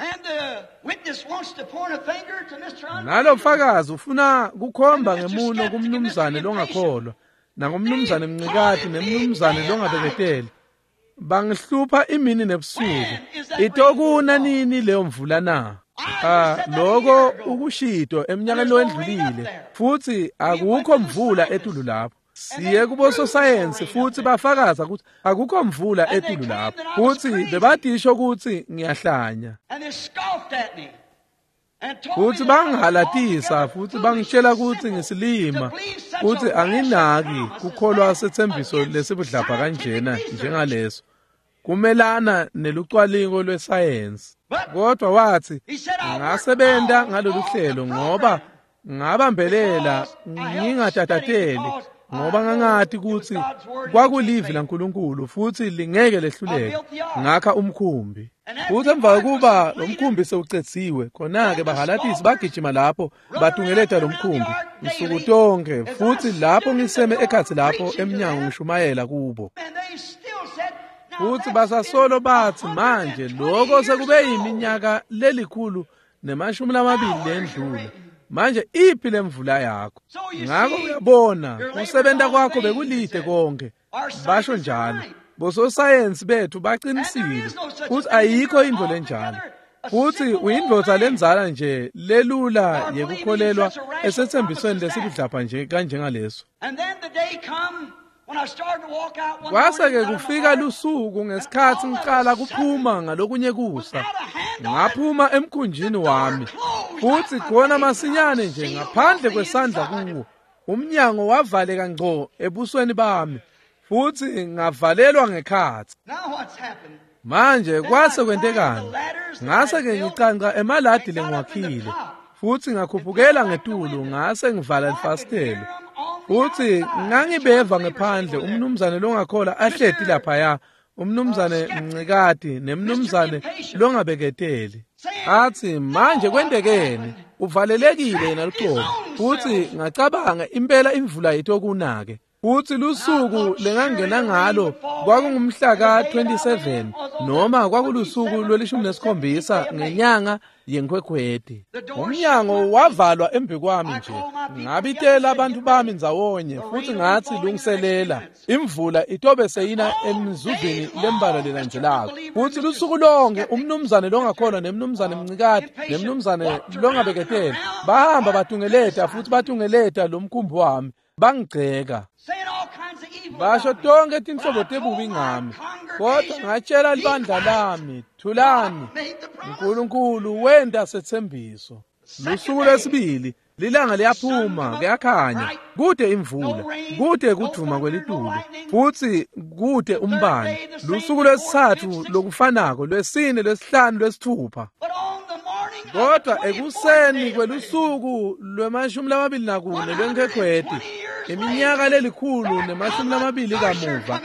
Nalo fakazi ufuna kukhomba ngemuno kumnumzane longakholwa nangumnumzane Mncikati nemnumzane longabeketeli. Bangihlupha imini nebusuku. Itokuna nini leyo mvula na? Ah, lokho ukushito eminyakeni lowendlulile futsi akukho mvula etulu lapho. Siye kubo sosayensi futsi bafakaza ukuthi akukho mvula etulu lapho futsi bebatisho ukuthi ngiyahlanya. Futsi bangihalatisa futsi bangitshela ukuthi ngisilima futsi anginaki kukholwa sethembiso lesibudlabha kanjena njengaleso kumelana nelucwalingo lwesayensi. Kodwa wathi ngasebenta ngalolu hlelo ngoba ngabambelela ngingatatateli ngoba ngangati ukuthi kwakulivi laNkulunkulu futhi lingeke lehluleke. Ngakha umkhumbi. Futhi emva kokuba lo mkhumbi sewucetsiwe, khona-ke bahalatisi bagijima lapho batungeleta lo mkhumbi nsuku tonke, futhi lapho ngiseme ekhatsi lapho emnyango ngishumayela kubo. Futhi basasolo bathi manje lokho sekube yiminyaka lelikhulu nemashumi lamabili lendlula. Manje iphi lemvula yakho? Ngakho uyabona kusebenta kwakho bekulide konke. Basho njalo. Bososayensi bethu baqinisile futhi ayikho into lenjalo. Futhi uyindvodza lenzala nje lelula yekukholelwa esethembisweni lesibudlapha nje kanjengaleso. Kwase-ke kufika lusuku ngesikhathi ngiqala kuphuma ngalokunye kusa. Ngaphuma emkhunjini wami futhi khona masinyane nje ngaphandle kwesandla kuwo umnyango wavaleka ngco ebusweni bami futhi ngavalelwa ngekhatsi. Manje kwase kwentekani? Ngase-ke ngicanca emaladi lengiwakhile futhi ngakhuphukela ngetulu ngase ngivala lifasitelo. Futhi ngangibeva ngephandle umnumzane longakholwa ahleti laphaya, umnumzane Mncikati nemnumzane longabeketeli. Athi manje kwentekeni? Uvalelekile yena luqobo. Futhi ngacabanga impela imvula itokunake. Futhi lusuku lengangena ngalo kwakungumhla ka twenty-seven noma kwakulusuku lwelishumi nesikhombisa ngenyanga yenkhwekhweti. Umnyango wavalwa embi kwami nje. Ngabitela abantu bami ndzawonye futhi ngathi lungiselela imvula itobe seyina emizuzwini lembalwa lelandzelako. Futhi lusuku lonke umnumzane longakholwa nemnumzane Mncikati nemnumzane longabeketeli bahamba batungeleta futhi batungeleta lo mkhumbi wami bangigceka. Basho tonke tinhlobo tebubi ngami, kodwa ngatshela libandla lami, thulani, uNkulunkulu wenta sethembiso. Lusuku lwesibili lilanga liyaphuma kuyakhanya, kude imvula, kude kudvuma kwelitulu futhi kude umbane. Lusuku lwesithathu lokufanako, lwesine, lwesihlanu, lwesithupha. Kodwa ekuseni kwelusuku lwemashumi lamabili nakune lwenkwekhweti, iminyaka lelikhulu nemashumi lamabili kamuva,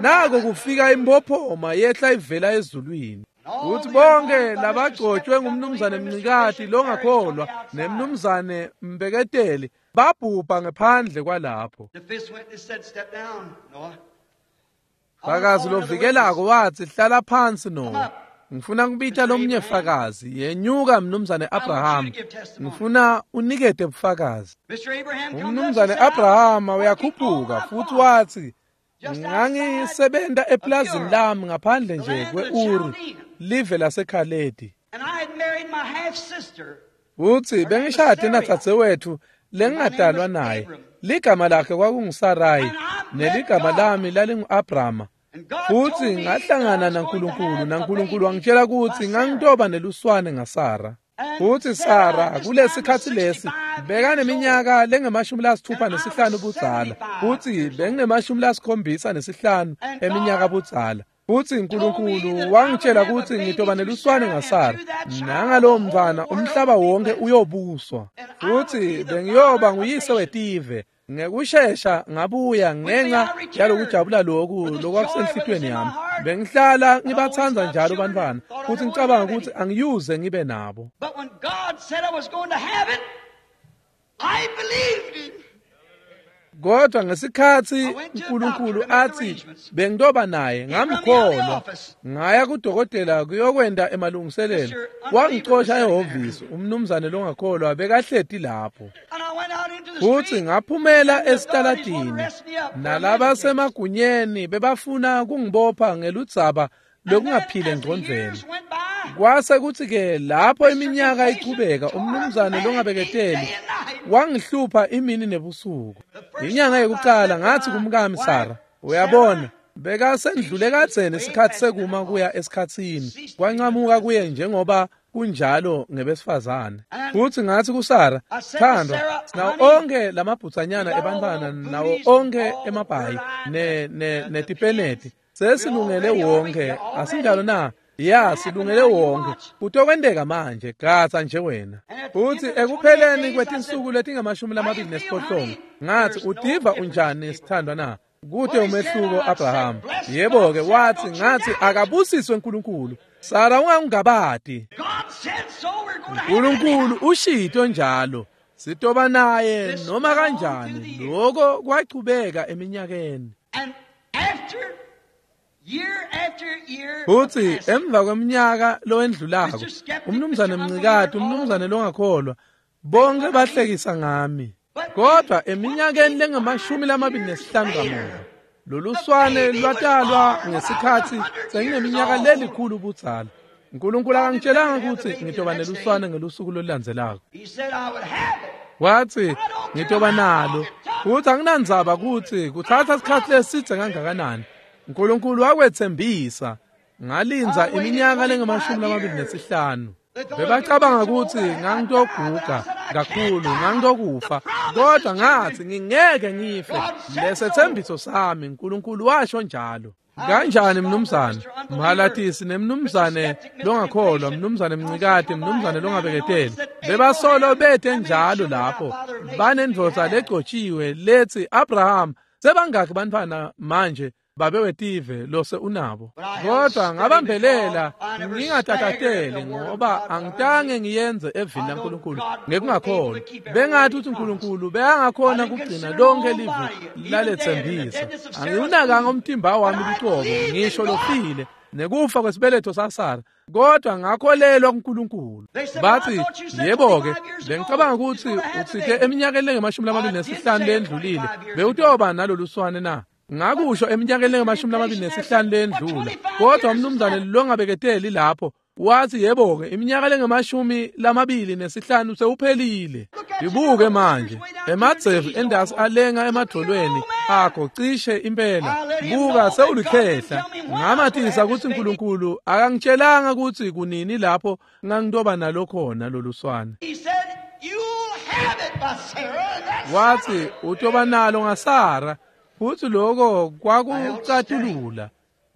nako kufika impophoma yehla ivela ezulwini. Futhi bonke labagcotshwe ngumnumzane Mncikati longakholwa nemnumzane Mbeketeli babhubha ngephandle kwalapho. Fakazi lovikelako wathi hlala phansi Noah. Ngifuna kubita lomnye fakazi, yenyuka mnumzane Abraham. Ngifuna unikete bufakazi. Umnumzane Abraham uyakhuphuka futhi wathi ngangisebenta eplazini lami ngaphandle nje kwe-Uri, live laseKhaledi. Futhi bengishade nadzadzewethu lengingadalwa naye. Ligama lakhe kwakunguSarayi Neligama lami lalingu-Abrama. Futhi ngahlangana naNkulunkulu, naNkulunkulu wangitshela ukuthi ngangitoba neluswane ngaSara. Futhi Sara kulesikhathi lesi bekaneminyaka lengemashumi lasithupha nesihlanu budzala, futhi benginemashumi lasikhombisa nesihlanu eminyaka budzala. Futhi uNkulunkulu wangitshela ukuthi ngitoba neluswane ngaSara, nangalowo mntwana umhlaba wonke uyobuswa, futhi bengiyoba nguyise wetive. Ngekushesha ngabuya ngenxa yalokujabula lokhu lokwakusenhlitweni yami. Bengihlala ngibatsandza njalo bantwana, futhi ngicabanga ukuthi angiyuze ngibe nabo. But when God said I was going to have it, I believed him. Kodwa ngesikhathi uNkulunkulu athi bengitoba naye, ngamkholwa. Ngaya kudokotela kuyokwenda emalungiselelo. Wangicosha ehhovisi, umnumzane longakholwa bekahleti lapho. And I went out into the Futhi street. ngaphumela esitaladini, nalabasemagunyeni bebafuna kungibopha ngeludzaba lokungaphili engqondvweni. Kwase kuthi-ke lapho iminyaka ichubeka, umnumzane longabeketeli wangihlupha imini nebusuku. Inyanga yokuqala ngathi kumkami Sara, uyabona, bekasendlule kadzeni isikhathi sekuma kuya esikhatsini, kwancamuka kuye njengoba kunjalo ngebesifazane. Futhi ngathi kuSara, thandwa, sinawo onke lamabhutsanyana ebantwana, nawo onke emabhayi ne ne netipeneti, sesilungele wonke, asinjalo na? Ya, silungele wonke. Kutokwenteka manje, gatsa nje wena. Futhi ekupheleni kwetinsuku letingamashumi lamabili nesiphohlongo, ngathi utiva unjani sithandwa na? Kute umehluko Abraham. Yebo-ke, wathi ngathi akabusiswe uNkulunkulu. Sara, ungangabati. God said so, we're going to have it. uNkulunkulu ushito njalo. Sitoba naye noma kanjani. Lokho kwachubeka eminyakeni. And after year after year, Futhi passed, emva kweminyaka lowendlulako, umnumzane Mncikati, umnumzane longakholwa, bonke bahlekisa ngami. Kodwa eminyakeni lengamashumi lamabili nesihlanu kamuva, lolu swane lwatalwa ngesikhathi sengineminyaka lelikhulu budzala. uNkulunkulu akangitshelanga ukuthi ngitoba neluswane ngelusuku lolulandzelako. he said I would have it. Wathi ngitoba nalo, futhi anginandzaba ukuthi kuthatha isikhathi lesidze kangakanani. uNkulunkulu wakwethembisa. Ngalinza iminyaka lengamashumi lamabili nesihlanu. Bebacabanga ukuthi ngangitoguga kakhulu, ngangitokufa, kodwa ngathi ngingeke ngife. Lesethembiso sami, uNkulunkulu washo njalo. Kanjani mnumzane Mhalatisi nemnumzane longakholwa, mnumzane Mncikati, mnumzane longabeketeli, bebasolo bethe njalo lapho banendvodza legcotshiwe lethi Abraham, sebangakhi bantwana manje babe wetive lose unabo. Kodwa ngabambelela ngingatatateli, ngoba angitange ngiyenze evini laNkulunkulu ngekungakholwa. Bengathi ukuthi uNkulunkulu bekangakhona kugcina lonke livi lalethembisa. Angiwunakanga umtimba wami luqobo, ngisho lofile nekufa kwesibeletho saSara, kodwa ngakholelwa kuNkulunkulu. Bathi yebo-ke, bengicabanga ukuthi utsite eminyakeni lengemashumi lamabili nesihlanu lendlulile bewutoba nalolu swane na? Ngakusho eminyakeni lengamashumi lamabili nesihlanu lendlula. Kodwa umnumzane longabeketeli lapho wathi yebo-ke, iminyaka lengamashumi lamabili nesihlanu sewuphelile. Ibuke manje emadzevu endasi alenga emadolweni akho cishe impela. Buka sewulikhehla. Ngamatisa ukuthi uNkulunkulu akangitshelanga ukuthi kunini lapho ngangitoba nalo khona lolu swane. He said, you'll have it by Sarah. And that's Wathi utoba nalo ngaSara, futhi lokho kwakucatulula.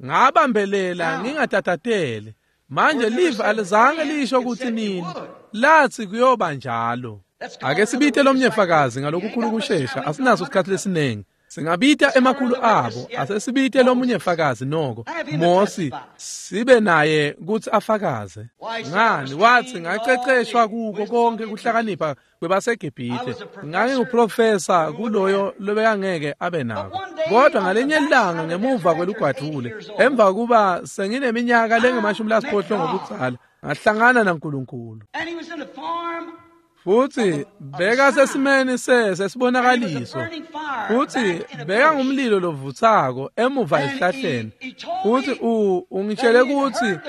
Ngabambelela ngingatatateli. Manje live alizange lisho ukuthi nini, lathi kuyoba njalo. Ake sibite lomnye fakazi ngalokukhulu kushesha, asinaso isikhathi lesiningi. Singabita emakhulu abo, asesibite lomunye fakazi noko. Mosi sibe naye ukuthi afakaze. Ngani wathi ngaceceshwa kuko konke kuhlakanipha kwebaseGibhithe. Nganginguprofesa kuloyo lobekangeke abe nako. Kodwa ngalenye ilanga ngemuva kwelugwadvule, emva kuba sengineminyaka lengemashumi lasiphohlongo budzala, ngahlangana naNkulunkulu. And he was in the farm Futhi beka sesimeni sesibonakaliso. Futhi beka ngumlilo lovuthako emuva esihlahleni. Futhi u ungitshele ukuthi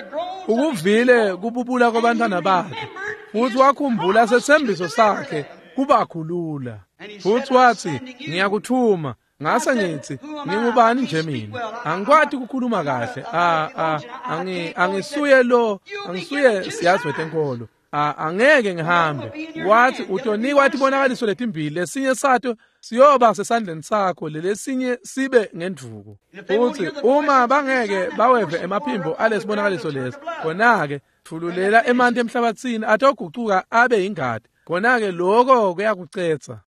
ukuvile kububula kwabantwana bakhe. Futhi wakhumbula sethembiso sakhe kubakhulula. Futhi wathi ngiyakuthuma. Ngase ngithi, ngingubani nje mina? Angikwati ukukhuluma kahle. A a angi angisuye lo, angisuye siyazi wetenkolo. A angeke ngihambe. Wathi utonikwa tibonakaliso letimbili, lesinye sato siyoba sesandleni sakho, lelesinye sibe ngendvuku. Futhi uma bangeke baweve emaphimbo alesibonakaliso lesi, khona-ke thululela emanti emhlabathini atogucuka abe ingadi. Khona-ke lokho kuyakucetsa.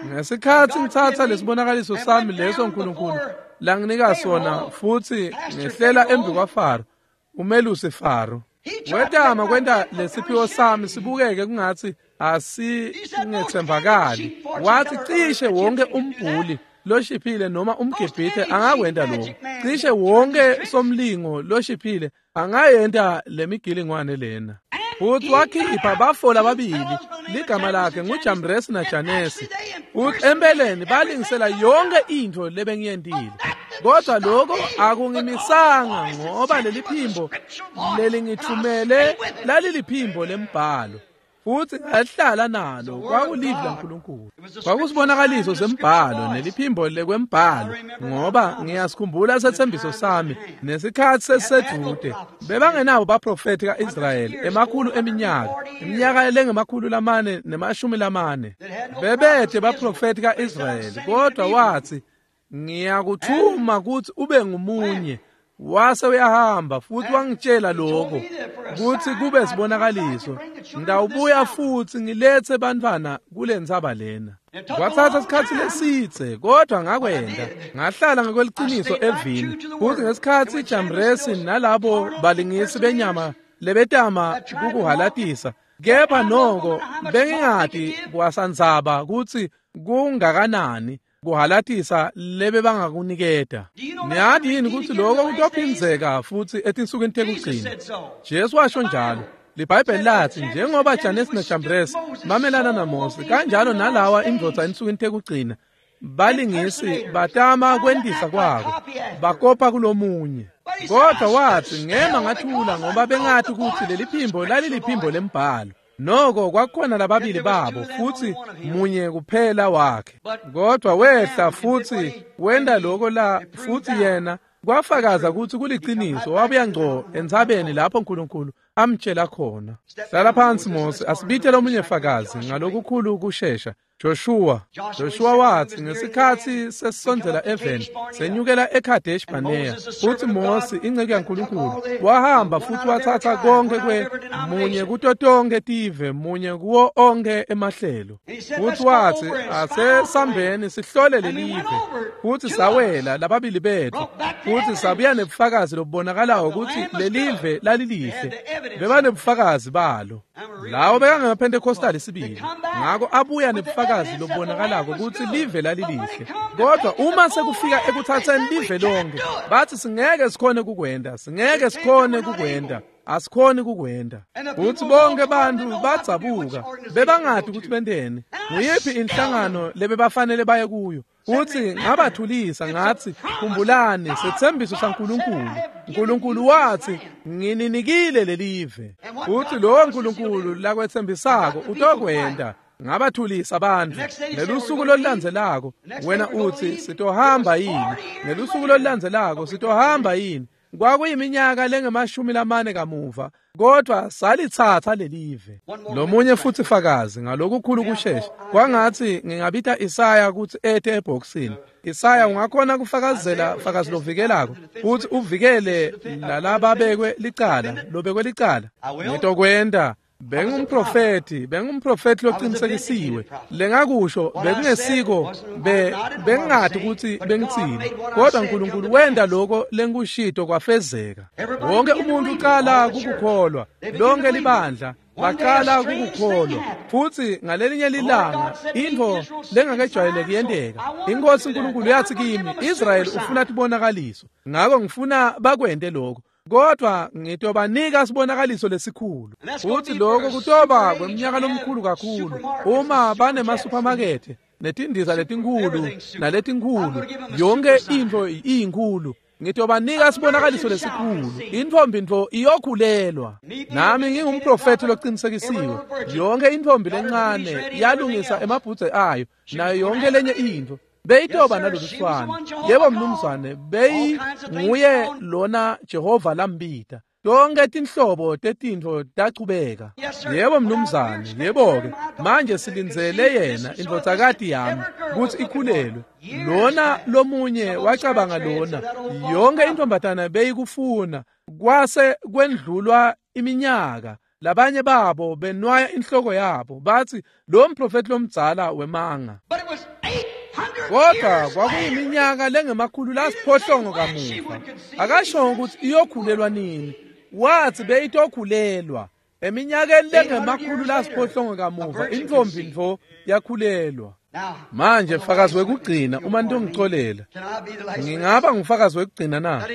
Ngesikhathi ngithatha lesibonakaliso sami leso uNkulunkulu langinika sona, futhi ngehlela embi kwaFaro, umelusi Faro. Wetama kwenta lesiphiwo sami sibukeke kungathi asingethembakali. Wathi cishe wonke umbhuli loshiphile noma umgibhithe angakwenta lokho. Cishe wonke somlingo loshiphile angayenta lemigilingwane lena. Futhi wakhipha bafo lababili, ligama lakhe nguJambresi naJanesi. Futhi empeleni balingisela yonke into lebengiyentile. Kodwa lokho akungimisanga, ngoba leli phimbo lelingithumele laliliphimbo lembhalo. Futhi ngahlala nalo, kwakulivi laNkulunkulu. Kwakusibonakaliso sembhalo neliphimbo lekwembhalo, ngoba ngiyasikhumbula sethembiso sami nesikhathi sesisedude. Bebangenabo baprofethi kaIsrayeli emakhulu eminyaka, iminyaka lengemakhulu lamane nemashumi lamane. Bebethe baprofethi kaIsrayeli, kodwa wathi, ngiyakuthuma ukuthi ube ngumunye. Wase uyahamba futhi wangitshela lokho ukuthi kube sibonakaliso, ngidawubuya futhi ngilethe bantwana kule ntsaba lena. Kwathatha isikhathi lesitse, kodwa ngakwenda, ngahlala ngokweliciniso evini. Futhi ngesikhathi iJambresi nalabo balingisi benyama lebetama kukuhalatisa, kepha noko bengingati kwasandzaba kutsi kungakanani kuhalatisa lebe bangakuniketa. Niyati yini kutsi lokho kutophindzeka futhi etinsukwini tekugcina? Jesu washo njalo. LiBhayibheli lathi njengoba Janesi naJambresi bamelana naMose, kanjalo nalawa indvodza ensukwini tekugcina balingisi batama kwentisa kwako, bakopa kulomunye. Kodwa wathi ngema ngathula, ngoba bengathi kutsi leli phimbo laliliphimbo lembhalo. Noko kwakukhona lababili babo, futhi munye kuphela wakhe. Kodwa wehla futhi wenda lokho la, futhi yena kwafakaza ukuthi kuliciniso. Wabuya ngco entsabeni lapho uNkulunkulu amtshela khona. Hlala phansi Mose, asibite lomunye fakazi ngalokukhulu ukushesha. Joshua Joshua wathi ngesikhathi sesisondzela eveni, senyukela eKadesh Barnea, futhi Mose inceku yaNkulunkulu wahamba futhi wathatha konke kwe munye kuto tonke tive, munye kuwo onke emahlelo. Futhi wathi asesambeni sihlole lelive, futhi sawela lababili bethu, futhi sabuya nebufakazi lobubonakalayo ukuthi lelive lalilihle. Bebanebufakazi balo. Lawo bekangemaPentecostal isibili, ngakho abuya nebufakazi lobubonakalako ukuthi live lalilihle. Kodwa uma sekufika ekuthatheni live lonke, bathi singeke sikhone kukwenda, singeke sikhone kukwenda, asikhoni kukwenda. Futhi bonke bantu badzabuka, bebangadi ukuthi benteni, nguyiphi inhlangano lebebafanele baye kuyo. Futhi ngabathulisa ngathi, khumbulani sethembiso saNkulunkulu. uNkulunkulu wathi, ngininikile lelive. Futhi lowo Nkulunkulu lakwethembisako utokwenda. Ngabathulisa abantu. Ngelusuku lolulandzelako wena uthi sitohamba yini? Ngelusuku lolulandzelako sitohamba yini? Kwakuyiminyaka lengemashumi lamane kamuva, kodwa salithatha lelive. Lomunye futhi fakazi ngalokukhulu kushesha, kwangathi ngingabita Isaya ukuthi ete ebhokisini. Isaya, ungakhona kufakazela fakazi lovikelako futhi uvikele lalababekwe licala, lobekwe licala. Ngitokwenda. Bengumprofeti, bengumprofeti loqinisekisiwe. Lengakusho bekungesiko, be bengingadi ukuthi bengitsini, kodwa uNkulunkulu wenda lokho lengikushito kwafezeka. Wonke umuntu uqala kukukholwa, lonke libandla baqala kukukholwa. Futhi ngalelinye lilanga into lengakejwayeleki yenteka. Inkosi uNkulunkulu yathi kimi, Israel ufuna tibonakaliso, ngakho ngifuna bakwente lokho. Kodwa ngitobanika sibonakaliso lesikhulu. Futhi lokho kutoba kweminyaka lomkhulu kakhulu uma banemasupermarket netindiza letinkulu naletinkulu, yonke into iyinkulu. Ngitobanika sibonakaliso lesikhulu. Intombi nto iyokhulelwa. Nami ngingumprofeti loqinisekisiwe. Yonke intombi lencane yalungisa emabhudze ayo nayo yonke lenye into. Beyitoba naloluswane. Yebo mnumzane, beyi nguye lona Jehova lambita. Tonke tinhlobo tetintfo tachubeka. Yebo mnumzane, yebo-ke. Manje silindzele yena indvodzakati yami kutsi ikhulelwe. Lona lomunye wacabanga lona. Yonke intombatana beyikufuna. Kwase kwendlulwa iminyaka. Labanye babo benwaya inhloko yabo bathi lo mprofeti lomdzala wemanga. Kodwa kwakuyiminyaka lengemakhulu lasiphohlongo kamuva. Akashongo ukuthi iyokhulelwa nini. Wathi beyitokhulelwa eminyakeni lengemakhulu lasiphohlongo kamuva intombi ntfo yakhulelwa. Manje fakazi wekugcina uma ntongicolela. Ngingaba ngufakazi wekugcina na?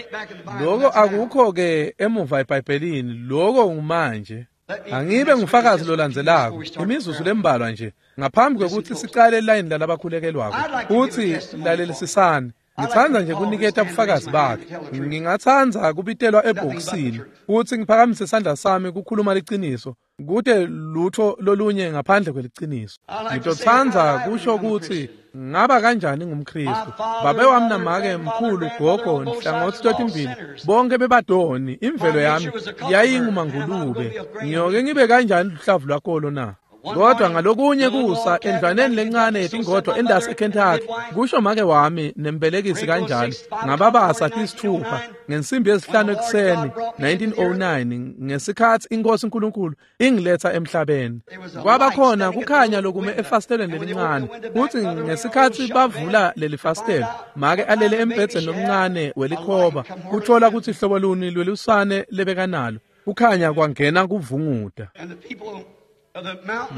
Lokho akukho ke emuva eBhayibhelini, lokho ngumanje. Angibe ngufakazi lolandzelako imizuzu lembalwa nje ngaphambi kwekuthi sicale line lalabakhulekelwako. Uthi lalelisisani. Ngithanda nje kuniketa ubufakazi bakhe. Ngingathanda kubitelwa ebhokisini uthi ngiphakamise isandla sami kukhuluma liqiniso kude lutho lolunye ngaphandle kweliciniso. Ngitothanda kusho ukuthi ngaba kanjani ngumKristu. Babe wami namake mkhulu gogo nhlangothi totimbili bonke bebadoni. Imvelo yami yayingumangulube. Ngiyoke ngibe kanjani luhlavu lwakolo na? Kodwa ngalokunye kusa endlwaneni lencane yetingodvo endasi eKentucky, kusho make wami nembelekisi kanjalo, ngababasa tisithupha ngensimbi yesihlanu ekuseni nineteen oh nine ngesikhathi inkosi uNkulunkulu ingiletha emhlabeni. Kwaba khona kukhanya lokume efasitelweni lelincane. Kuthi ngesikhathi bavula leli fastelo, make alele embhedzeni lomncane welikhoba, kuthola ukuthi hlobo luni lwelusane lebekanalo. Kukhanya kwangena kuvunguta.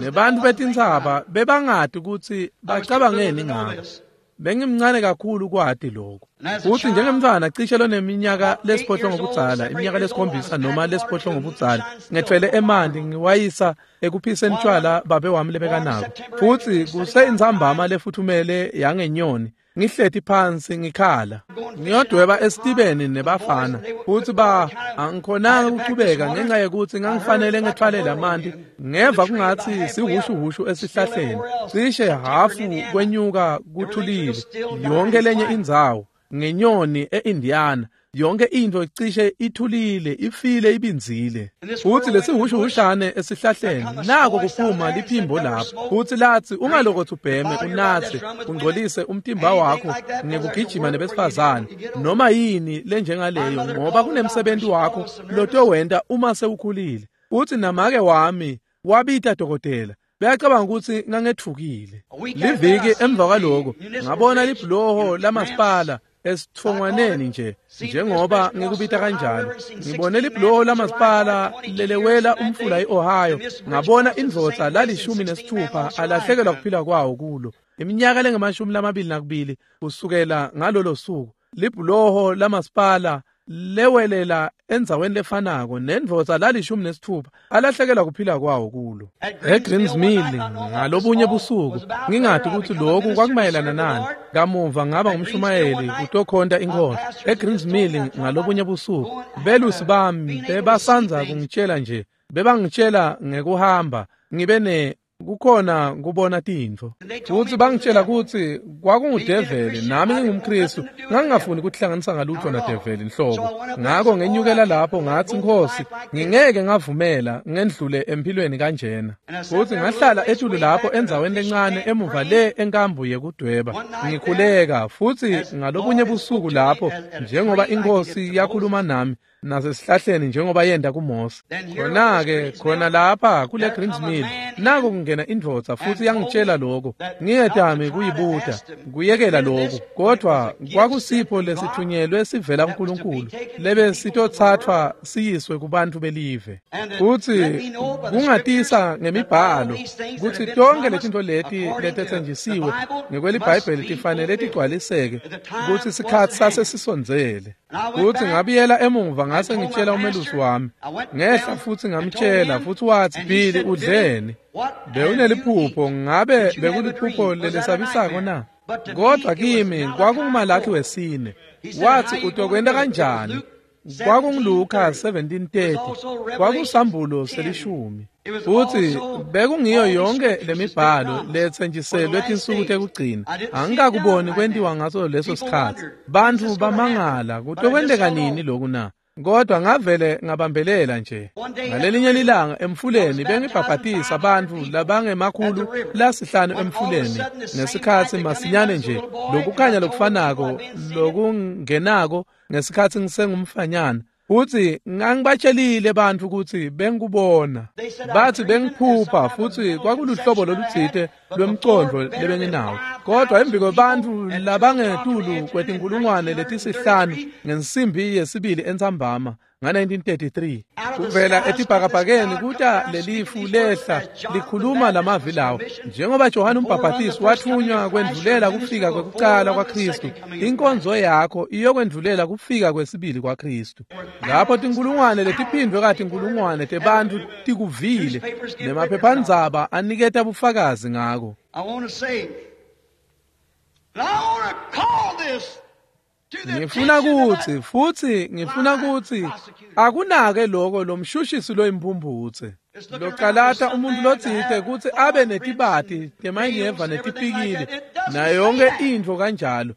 Nebantu betintsaba bebangati ukuthi bacabangeni ngako. Bengimncane kakhulu kwati lokho. Uthi njengemntwana cishe loneminyaka lesiphohlongo budzala, iminyaka lesikhombisa noma lesiphohlongo budzala, ngethwele emanti ngiwayisa ekuphiseni tshwala babe wami lebekanako. Futhi kuseyintsambama lefuthumele yangenyoni, ngihleti phansi ngikhala. Ngiyodweba esitibeni nebafana. Futhi ba angikhonanga ukuchubeka ngenxa yokuthi ngangifanele ngethwale lamanti. Ngeva kungathi sihushuhushu esihlahleni. Cishe hafu kwenyuka kuthulile. Yonke lenye indzawo ngenyoni eIndiana. Yonke into icishe ithulile, ifile, ibinzile. Futhi lesihushuhushane esihlahleni nako kuphuma liphimbo lapho. Futhi lathi ungalokothi ubheme unathe ungcolise umtimba wakho ngekugijima nebesifazane noma yini lenjengaleyo, ngoba kunemsebenzi wakho lotowenta uma sewukhulile. Uthi namake wami wabita dokotela. Bayacabanga ukuthi ngangethukile. Liviki emva kwaloko ngabona libhuloho lamasipala esithongwaneni nje njengoba ngikubita kanjalo. Ngibone libhuloho lamasipala lelewela umfula iOhio. Ngabona indvodza lalishumi nesithupha alahlekelwa kuphila kwawo kulo iminyaka lengamashumi lamabili nakubili kusukela ngalolo suku. Libhuloho lamasipala lewelela endzaweni lefanako nendvodza lalishumi nesithupha alahlekelwa kuphila kwawo kulo. eGreens Mill ngalobunye busuku ngingadi ukuthi lokhu kwakumayelana nani. Kamuva ngaba ngumshumayeli kutokhonta inkosi. eGreens Mill ngalobunye busuku belusi bami bebasanza kungitshela nje, bebangitshela ngekuhamba ngibe ne kukhona kubona tintfo. Futhi bangitshela ukuthi kwakungudeveli nami ngingumKristu, ngangingafuni ukuhlanganisa ngalutho nadeveli nhlobo. Ngakho ngenyukela lapho ngathi, Nkosi, ngingeke ngavumela ngendlule empilweni kanjena. Futhi ngahlala etulu lapho endzaweni lencane emuva le enkambu yekudweba ngikhuleka. Futhi ngalobunye busuku lapho njengoba inkosi yakhuluma nami nasesihlahleni njengoba yenda kuMose. Khona-ke khona lapha kule Greens Mill nako kungena indvodza futhi yangitshela lokho. Ngiyedami kuyibuda kuyekela lokho, kodwa kwakusipho lesithunyelwe sivela kuNkulunkulu lebe sitothathwa siyiswe kubantu belive. Futhi kungatisa ngemibhalo ukuthi tonke letinto leti letetsenjisiwe ngekweliBhayibheli tifanele tigcwaliseke ukuthi isikhathi sase sisondzele. Futhi ngabuyela emuva ngase ngitshela umelusi wami. Ngehla futhi ngamtshela, futhi wathi, Billy, udleni? Bewuneliphupho, ngabe bekuliphupho lelesabisako na? Kodwa kimi kwakunguMalakhi wesine. Wathi, utokwenta kanjani? KwakunguLuka seventeen thirty. Kwakusambulo selishumi. Futhi bekungiyo yonke lemibhalo letsenjiselwe tinsuku tekugcina. Angikakuboni kwentiwa ngaso leso sikhatsi. Bantfu bamangala kutokwenteka nini loku na? Kodwa ngavele ngabambelela nje. Ngalelinye lilanga emfuleni bengibhabhatisa bantfu labangemakhulu lasihlanu emfuleni ngesikhatsi masinyane nje lokukhanya lokufanako lokungenako ngesikhatsi ngisengumfanyana. Futhi ngangibatshelile bantfu ukuthi bengikubona. Bathi bengiphupha futhi kwakuluhlobo lolutsite lwemcondvo lebenginawo. Kodwa embi kwebantfu labangetulu kwetinkulungwane letisihlanu ngensimbi yesibili entsambama nga nineteen thirty-three kuvela etibhakabhakeni kuta lelifu lehla likhuluma lamavi lawo. Njengoba Johane umbhabhatisi wathunywa kwendvulela kufika kwekucala kwaKristu, inkonzo yakho iyokwendvulela kufika kwesibili kwaKristu. Lapho tinkulungwane letiphindvwe katinkulungwane tebantfu tikuvile nemaphephandzaba aniketa bufakazi ngako. I want to say, and I want to call this Ngifuna kuthi futhi ngifuna kuthi akunake lokho lomshushisi loyimphumputse localata umuntu lotsite kutsi abe netibati temanyeva netipikili nayo yonke intfo kanjalo.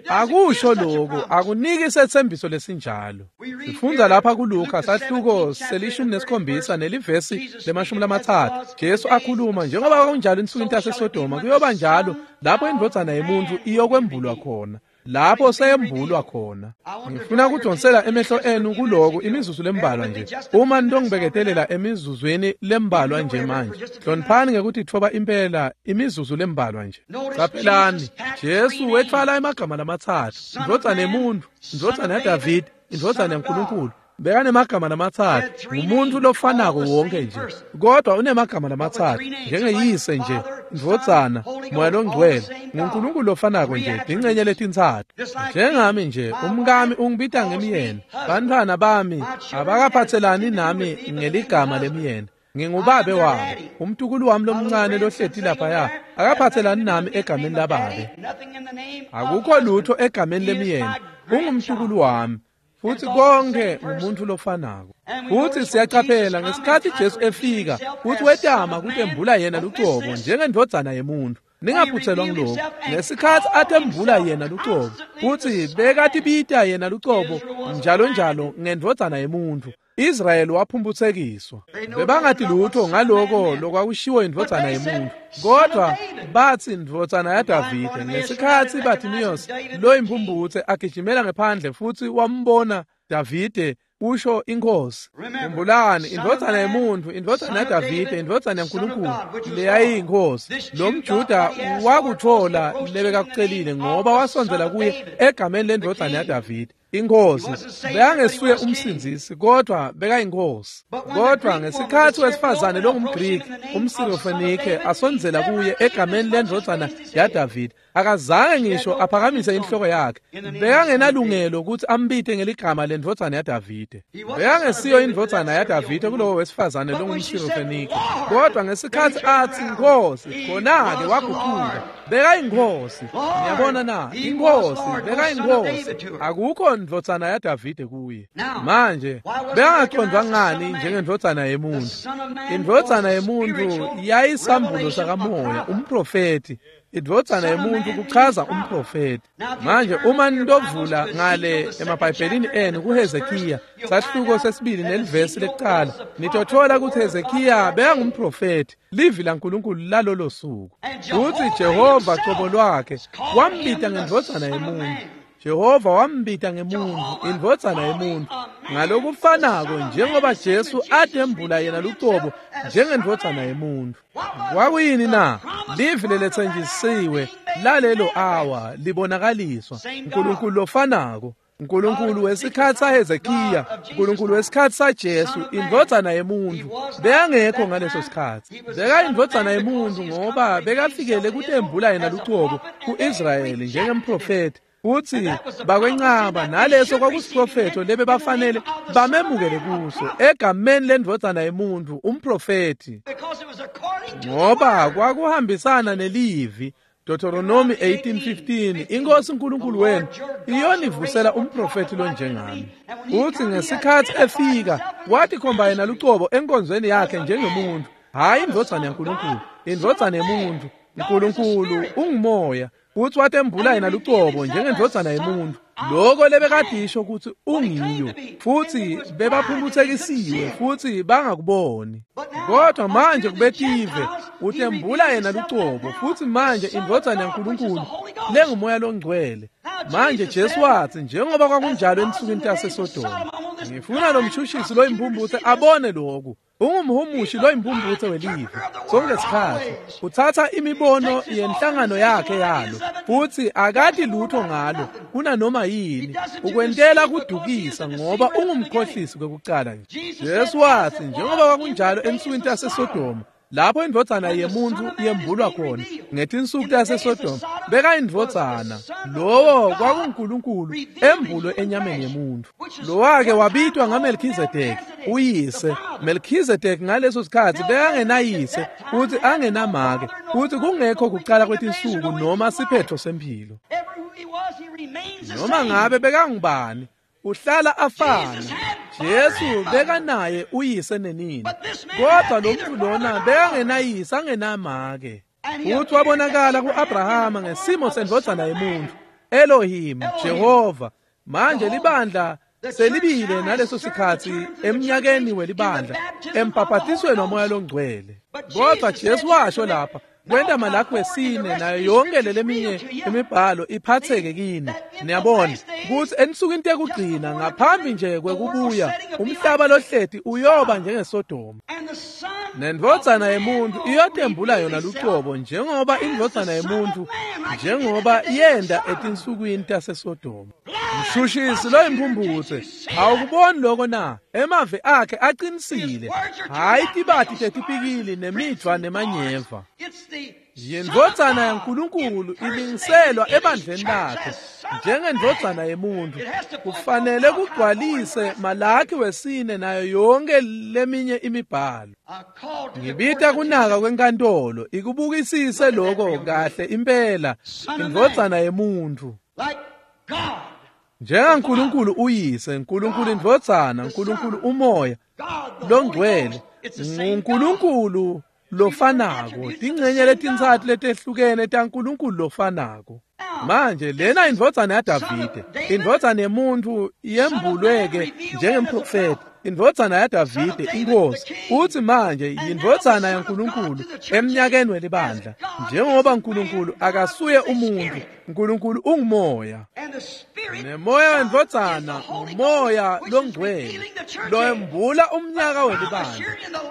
Akusho lokho, akuniki setsembiso lesinjalo. Sifundza lapha kuLuka sahluko selishumi nesikhombisa nelivesi lemashumi lamatsatfu. Jesu akhuluma njengoba kwakunjalo ensukwini taseSodoma kuyoba njalo lapho indvodzana yemuntfu iyokwembulwa khona. Lapho seyembulwa khona. Ngifuna kudonsela emehlo enu kuloku imizuzu lembalwa nje. Uma ntongibeketelela emizuzwini lembalwa nje manje. Hloniphani ngekuthi thoba impela imizuzu lembalwa nje. Qaphelani, Jesu wetfwala emagama lamatsatfu. Indvodzana yemuntfu, indvodzana yaDavide, indvodzana yaNkulunkulu. Bekanemagama lamatsatfu, ngumuntu lofanako wonke nje. Kodwa unemagama lamatsatfu, njengeyise nje, indvodzana, Moya loNgcwele, nguNkulunkulu lofanako nje, tincenye letintsatfu. Njengami nje, umkami ungibita ngemyeni. Bantfwana bami abakaphatselani nami ngeligama lemyeni. Ngingubabe wabo. Umtukulu wami lomncane lohleti laphaya akaphatselani nami egameni lababe. Akukho lutho egameni lemyeni. Ungumtukulu wami. Futhi konke ngumuntu lofanako. Futhi siyaqaphela ngesikhathi Jesu efika futhi wetama kutembula yena lucobo njengendvodzana yemuntu. Ningaphuthelwa ngilokhu. Ngesikhathi atembula yena lucobo futhi bekatibita yena lucobo njalo njalo ngendvodzana yemuntu, Israyeli waphumphutsekiswa. Bebangati lutho ngaloko lokwakushiwo indvodzana yemuntu. Kodwa bathi indvodzana yaDavide. Ngesikhatsi Bartimaeus loyimphumputse agijimela ngephandle futhi wambona Davide usho inkosi. Khumbulani, indvodzana yemuntu, indvodzana yaDavide, indvodzana yaNkulunkulu leyayiyinkosi. Lo mJuda wakuthola lebekakucelile ngoba wasondzela kuye egameni lendvodzana yaDavide. Inkosi bekangesuye umsindzisi kodwa bekayinkosi. Kodwa ngesikhatsi wesifazane longumGriki umSirofenike asondzela kuye egameni lendvodzana yaDavide, akazange ngisho aphakamise inhloko yakhe. Bekangenalungelo ukuthi ambite ngeligama lendvodzana yaDavide. Bekangesiyo indvodzana yaDavide kulowo wesifazane longumSirofenike. Kodwa ngesikhatsi athi Nkosi, khona-ke waguquka. Bekayinkosi. Niyabona na? Inkosi bekayinkosi. Akukho ndvodzana yaDavide kuye. Manje bekangaqondwa ngani njengendvodzana yemuntu? Indvodzana yemuntu yayisambulo sakamoya, umprofeti. Indvodzana yemuntu kuchaza umprofeti. Manje uma nidovula ngale emabhayibhelini enu kuHezekiya sahluko sesibili nelivesi lekuqala, nitothola ukuthi Hezekiya bekangumprofeti, livi laNkulunkulu lalolo suku. Futhi Jehova cobo lwakhe wambita ngendvodzana yemuntu. Jehova wambita ngemuntu, indvodzana yemuntu, ngalokufanako njengoba Jesu atembula yena lucobo njengendvodzana yemuntu. Kwakuyini na? Livi leletsenjisiwe lalelo awa libonakaliswa. uNkulunkulu lofanako, uNkulunkulu wesikhatsi saHezekiya, uNkulunkulu wesikhatsi saJesu, indvodzana yemuntu. Bekangekho ngaleso sikhatsi. Bekayindvodzana yemuntu ngoba bekafikele kutembula yena lucobo ku-Israyeli njengemprofeti. Uthi bakwencaba naleso kwakusiprofetho lebe bafanele bamemukele kuso egameni lendvodzana yemuntu umprofeti, ngoba kwakuhambisana nelivi Deuteronomy eighteen fifteen, inkosi uNkulunkulu wenu iyonivusela umprofeti lonjengami. Uthi ngesikhathi efika wathi khomba yena lucobo enkonzweni yakhe njengomuntu, hayi indvodzana yaNkulunkulu, indvodzana yemuntu. uNkulunkulu ungumoya, futhi watembula yena lucobo njengendvodzana yemuntu. Lokho lebekadisho ukuthi ungiyo, futhi bebaphumputhekisiwe futhi bangakuboni. Kodwa manje kubetive utembula yena lucobo, futhi manje indvodzana yaNkulunkulu lengumoya longcwele. Manje Jesu wathi njengoba kwakunjalo ensukwini taseSodoma. Ngifuna lo mshushisi loyimpumputhe abone lokhu. Ungumhumushi loyimpumputhe welive. Sonke isikhathi uthatha imibono yenhlangano yakhe yalo, futhi akati lutho ngalo kunanoma yini. Ukwentela kudukisa ngoba ungumkhohlisi kwekucala nje. Jesu wathi njengoba kwakunjalo ensukwini taseSodoma, lapho indvodzana yemuntu yembulwa khona ngetinsuku taseSodoma, bekayindvodzana lowo kwakuNkulunkulu embulwe enyameni yemuntu. Lowake wabitwa ngaMelkhizedeki uyise. Melkhizedeki ngaleso sikhathi bekangenayise futhi angenamake, futhi kungekho kucala kwetinsuku noma siphetho sempilo. Noma ngabe bekangubani, uhlala afana. Jesu bekanaye uyise nenina, kodwa lo muntu lona bekangenayise angenamake. Futhi wabonakala ku-Abrahama ngesimo sendvodzana yemuntu, Elohim, Jehova. Manje libandla selibile naleso sikhathi eminyakeni welibandla empaphatisweni wamoya longcwele. Kodwa Jesu washo lapha kwenta Malaki wesine nayo yonke leminye imibhalo iphatheke kini. Niyabona ukuthi ensukwini tekugcina ngaphambi nje kwekubuya umhlaba lohleti uyoba njengeSodoma, nendvodzana yemuntu iyotembula yona lucobo njengoba indvodzana yemuntu njengoba yenda etinsukwini taseSodoma. Mshushisi loyimpumputhe, awukuboni lokho na? Emavi akhe aqinisile, hayi tibati tetipikili nemidvwa nemanyeva. Yindvodzana yaNkulunkulu ilingiselwa ebandleni lakhe njengendvodzana yemuntu. Kufanele kugcwalise Malaki wesine nayo yonke leminye imibhalo. Ngibita kunaka kwenkantolo ikubukisise lokho kahle impela, indvodzana yemuntu. NjengaNkulunkulu uyise, Nkulunkulu indvodzana, Nkulunkulu umoya longcwele, nguNkulunkulu lofanako, tingcenye letintsatfu letehlukene taNkulunkulu lofanako. Manje lena indvodzana yaDavide, indvodzana yemuntu yembulweke njengemprofeti, indvodzana yaDavide inkosi. Uthi manje yindvodzana yaNkulunkulu eminyakeni welibandla, njengoba uNkulunkulu akasuye umuntu, uNkulunkulu ungumoya. Nemoya wendvodzana ngumoya longcwele loyembula umnyaka welibandla.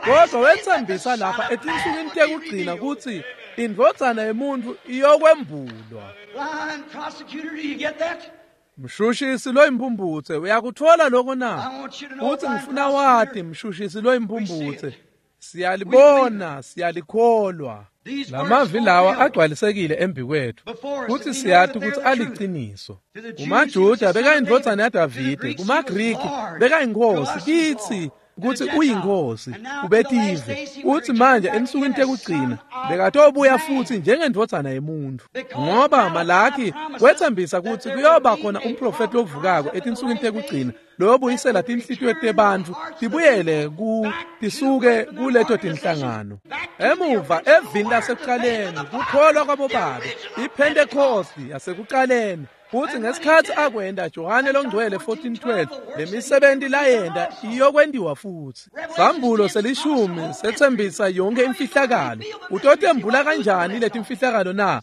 Kodwa wetsembisa lapha etinsukwini tekugcina kutsi indvodzana yemuntu iyokwembulwa. Mshushisi loyimpumputhe, uyakuthola lokho na? Uthi ngifuna wati mshushisi loyimpumputhe, siyalibona, siyalikholwa. Lamavi lawa agcwalisekile embi kwethu, futhi siyati ukuthi aliqiniso. KumaJuda bekayindvodzana yaDavide, kumaGriki bekayinkosi, kithi ukuthi uyinkosi ubetive. Uthi manje ensukwini tekugcina bekatobuya futhi njengendvodzana yemuntu, ngoba Malaki wetsembisa ukuthi kuyoba khona umprofeti lovukako etinsukwini tekugcina loyobuyisela tinhlitiyo tebantfu tibuyele ku tisuke kuleto tinhlangano emuva evini lasekuqaleni, kukholwa kwabobabe, iPhentekosti yasekuqaleni. Futhi ngesikhathi akwenda Johane longcwele fourteen twelve, lemisebenzi layenda iyokwentiwa futhi. Sambulo selishumi sethembisa yonke imfihlakalo. Utotembula kanjani letimfihlakalo na?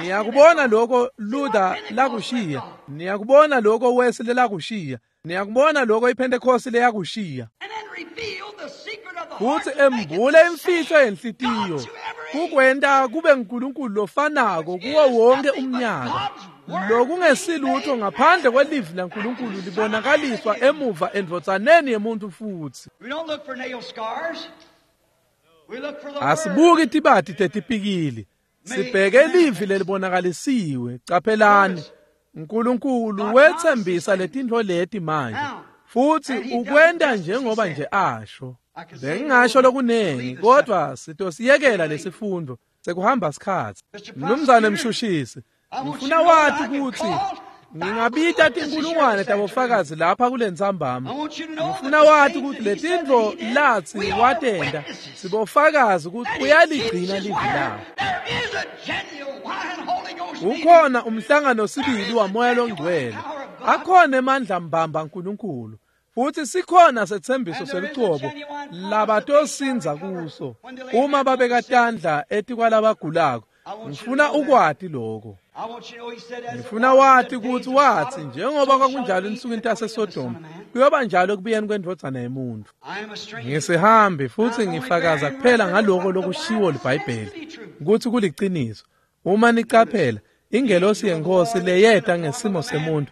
Niyakubona lokho Luther lakushiya, niyakubona lokho Wesley lakushiya, niyakubona lokho iPhentekosti leyakushiya. Futhi embule imfihlo yenhlitiyo, kukwenta kube nguNkulunkulu lofanako kuwo wonke umnyaka. Lokungesilutho ngaphandle kwelivi laNkulunkulu libonakaliswa emuva endvodzaneni yemuntu futhi. Asibuki tibati tetipikili, sibheke livi lelibonakalisiwe. Caphelani, uNkulunkulu wetsembisa letintfo leti manje, futhi ukwenta njengoba nje asho. Bengingasho lokunengi, kodwa sitosiyekela lesifundo. Sekuhamba sikhatsi. Mnumzane Mshushisi, ngifuna wati kutsi ngingabita tinkulungwane tabofakazi lapha kulentsambama. Ngifuna wati kutsi letintfo latsi watenta sibofakazi kutsi uyaligcina livi lakhe. Ukhona umhlangano sibili waMoya loNgcwele. Akhona emandla mbamba Nkulunkulu. Futhi sikhona setsembiso selucobo labatosindza kuso uma babeka tandla etikwalabagulako. Ngifuna ukwati lokho. Ngifuna wati kutsi watsi njengoba kwakunjalo ensukwini taseSodoma kuyoba njalo ekubuyeni kwendvodzana yemuntfu. Ngisihambi futhi ngifakaza kuphela ngaloko lokushiwo liBhayibheli kutsi kuliciniso. Uma nicaphela ingelosi yenkosi leyeta ngesimo semuntu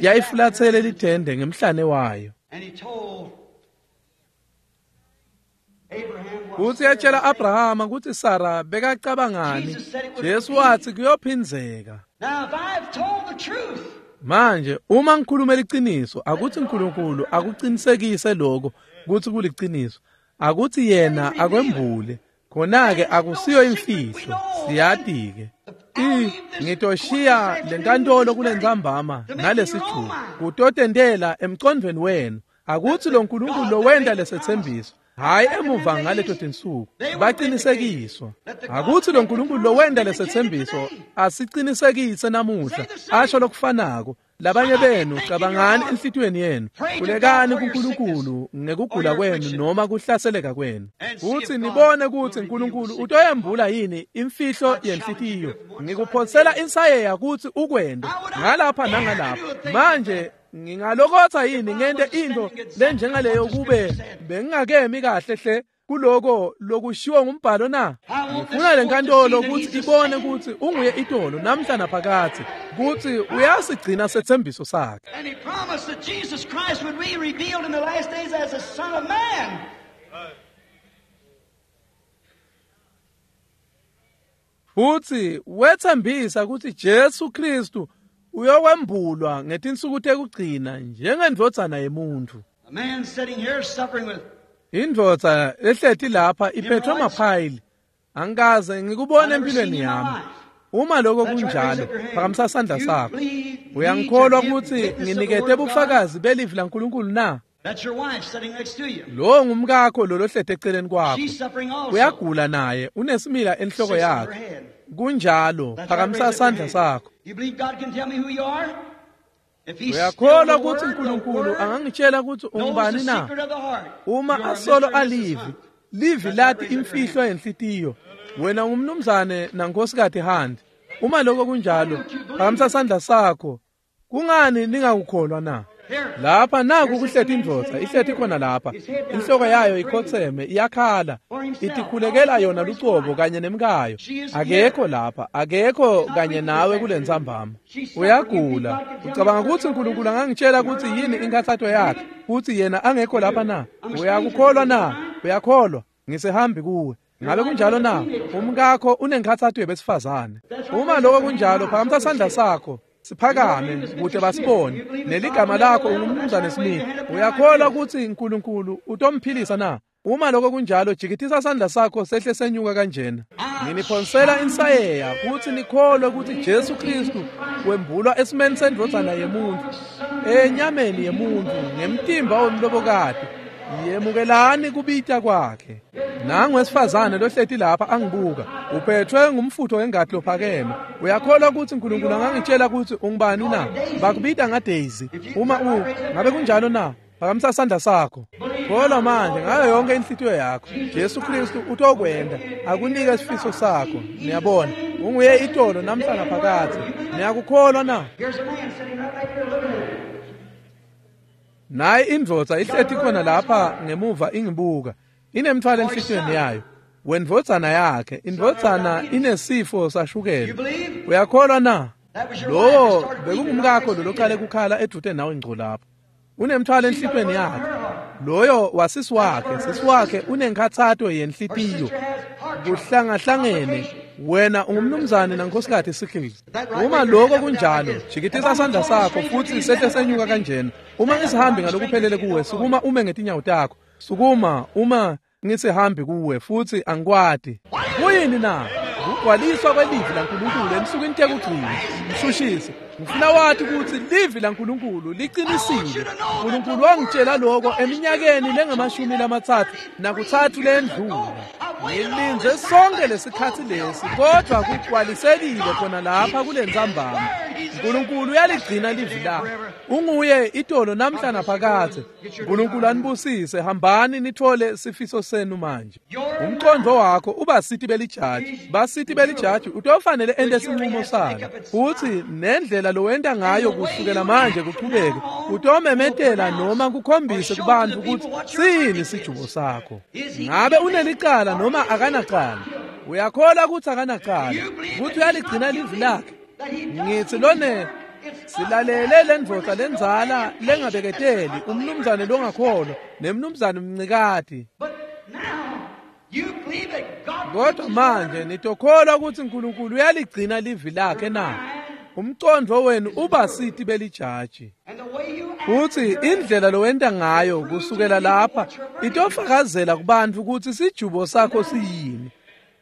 yayifulathele lithende ngemhlane wayo. Kutsi yatshela Abrahama kutsi Sara bekacabangani. Jesu watsi kuyophindzeka. Manje uma ngikhuluma liciniso akuthi uNkulunkulu akuqinisekise lokho kutsi kuliciniso, akuthi yena akwembule. Khona-ke akusiyo imfihlo, siyati-ke. I ngitoshiya lenkantolo kulentsambama nalesithuba kutotentela emcondvweni wenu akuthi lo Nkulunkulu lowenta lesetsembiso hayi emuva ngaleto tinsuku baqinisekiswa. Akuthi lo Nkulunkulu lowenta lesetsembiso asiqinisekise namuhla asho lokufanako. Labanye benu cabangani enhlitiyweni yenu, khulekani kuNkulunkulu ngekugula kwenu noma kuhlaseleka kwenu, futhi nibone kutsi uNkulunkulu utoyembula yini imfihlo yenhlitiyo. Ngikuphonsela insayeya kutsi ukwente ngalapha nangalapha. Manje ngingalokotsa yini ngente into lenjengaleyo kube bengingakemi kahle hle kuloko lokushiwo ngumbhalo na? Ngifuna lenkantolo kutsi ibone kutsi unguye itolo namhla naphakatsi, kutsi uyasigcina setsembiso sakhe. And he promised that Jesus Christ would be revealed in the last days as the Son of Man. Futsi wetsembisa kutsi Jesu Kristu uyokwembulwa ngetinsuku tekugcina njengendvodzana yemuntfu. A man sitting here suffering with Indvodza lehleti lapha iphethwe maphayili. Angikaze ngikubone empilweni yami. Uma lokho kunjalo, phakamisa sandla sakho. Uyangikholwa kutsi nginikete bufakazi belivi laNkulunkulu na? That's your wife sitting next to you. Lo ngumkakho lo lohleti eceleni kwakho. She's suffering also. Uyagula naye, unesimila enhloko Sits on her yakhe. head. Kunjalo, That's right, phakamisa raise up your sandla hand. sakho. You believe God can tell me who you are? If he's still Uyakholwa the kutsi Word, the uNkulunkulu Word angangitshela kutsi knows the ungubani na? secret of the heart. Uma You are asolo Mister and Missus alivi, Hunt. livi That's right, lati raise up your imfihlo hand. yenhlitiyo. Wena ungumnumzane nankosikazi Hunt. Uma lokho kunjalo, phakamisa sandla sakho. Kungani ningakukholwa na? Here. Lapha naku kuhleti indvodza, ihleti khona lapha. Inhloko yayo ikhotseme, iyakhala. Itikhulekela yona lucobo kanye nemkayo. Akekho lapha, akekho kanye nawe kulentsambama. Uyagula. Ucabanga kutsi uNkulunkulu angangitshela kutsi yini inkhatsato yakhe, kutsi yena angekho lapha na? Uyakukholwa na? Uyakholwa? Ngisehambi kuwe. Ngabe kunjalo na? Umkakho unenkhatsato yebesifazane. Uma lokho kunjalo, phakamisa sandla sakho. Siphakame kute basibone. Neligama lakho ungumnumzane Smith. Uyakholwa kutsi uNkulunkulu utomphilisa na? Uma lokho kunjalo, jikitisa sandla sakho sehle senyuka kanjena. Nginiphonsela insayeya kutsi nikholwe kutsi Jesu Kristu wembulwa esimeni sendvodzana yemuntfu, enyameni yemuntfu, ngemtimba womlobokati. Yemukelani kubita kwakhe. Nangu wesifazane lohleti lapha angibuka, uphethwe ngumfutho wengati lophakeme. Uyakholwa kutsi uNkulunkulu angangitshela kutsi ungubani na? Bakubita ngaDaisy. Uma u ngabe kunjalo na? Phakamisa sandla sakho. Kholwa manje ngayo yonke inhlitiyo yakho. Jesu Kristu utokwenta akunike isifiso sakho. Niyabona, unguye itolo namhla naphakatsi. Niyakukholwa na? Here's a man sitting right back here looking at you. Nayi indvodza ihleti khona lapha ngemuva ingibuka. Inemthwalo enhlitiyweni yayo. Wendvodzana yakhe, indvodzana inesifo sashukela. You believe? Uyakholwa na? That was your wife Lowo that started weeping bekungumkakho right lo next to loqale you. kukhala edude nawe ngco lapho. Unemthwalo enhlitiyweni yakhe. Loyo wasisi wakhe, sisi wakhe unenkhatsato Her yenhlitiyo. sister has heart trouble. Kuhlangahlangene wena ungumnumzane nankosikazi Sickles. That right, Uma raise your lokho hand up and down kunjalo, like this. jikitisa If I'm sandla a total sakho stranger to futhi you, sehle stand up on senyuka your feet. kanjena. Uma Stand up. ngisihambi I'm a stranger ngalokuphelele to you, kuwe, don't know sukuma you. ume ngetinyawo takho. Sukuma uma ngisihambi kuwe futhi angikwati. Kuyini na? kugcwaliswa kwelivi laNkulunkulu ensukwini tekugcina. Mshushisi, ngifuna wathi kutsi livi laNkulunkulu liqinisile. uNkulunkulu wangitshela lokho eminyakeni lengamashumi lamatsatfu nakutsatfu lendlula. Ngilindze sonke lesikhatsi lesi, kodwa kugcwalisekile khona lapha kule ntsambama. uNkulunkulu uyaligcina livi lakhe. Unguye itolo namhla naphakadze. uNkulunkulu anibusise. Hambani nithole sifiso senu manje. Umqondo wakho ubasiti belijaji. Basiti belijaji utofanele ente sinqumo salo. Futhi nendlela lowenta ngayo kusukela manje kuchubeke utomemetela noma kukhombise kubantu ukuthi sini sijubo sakho. Ngabe unelicala noma akanacala? Uyakholwa ukuthi akanacala, ukuthi uyaligcina livi lakhe. Ngithi lone silalele lendvodza lendzala lengabeketeli, umnumzane longakholwa nemnumzane mncikati. Kodwa manje nitokholwa ukuthi uNkulunkulu uyaligcina livi lakhe na? Umqondo wenu ubasiti belijaji. Futhi indlela lowenta ngayo kusukela lapha itofakazela kubantu ukuthi sijubo sakho siyini.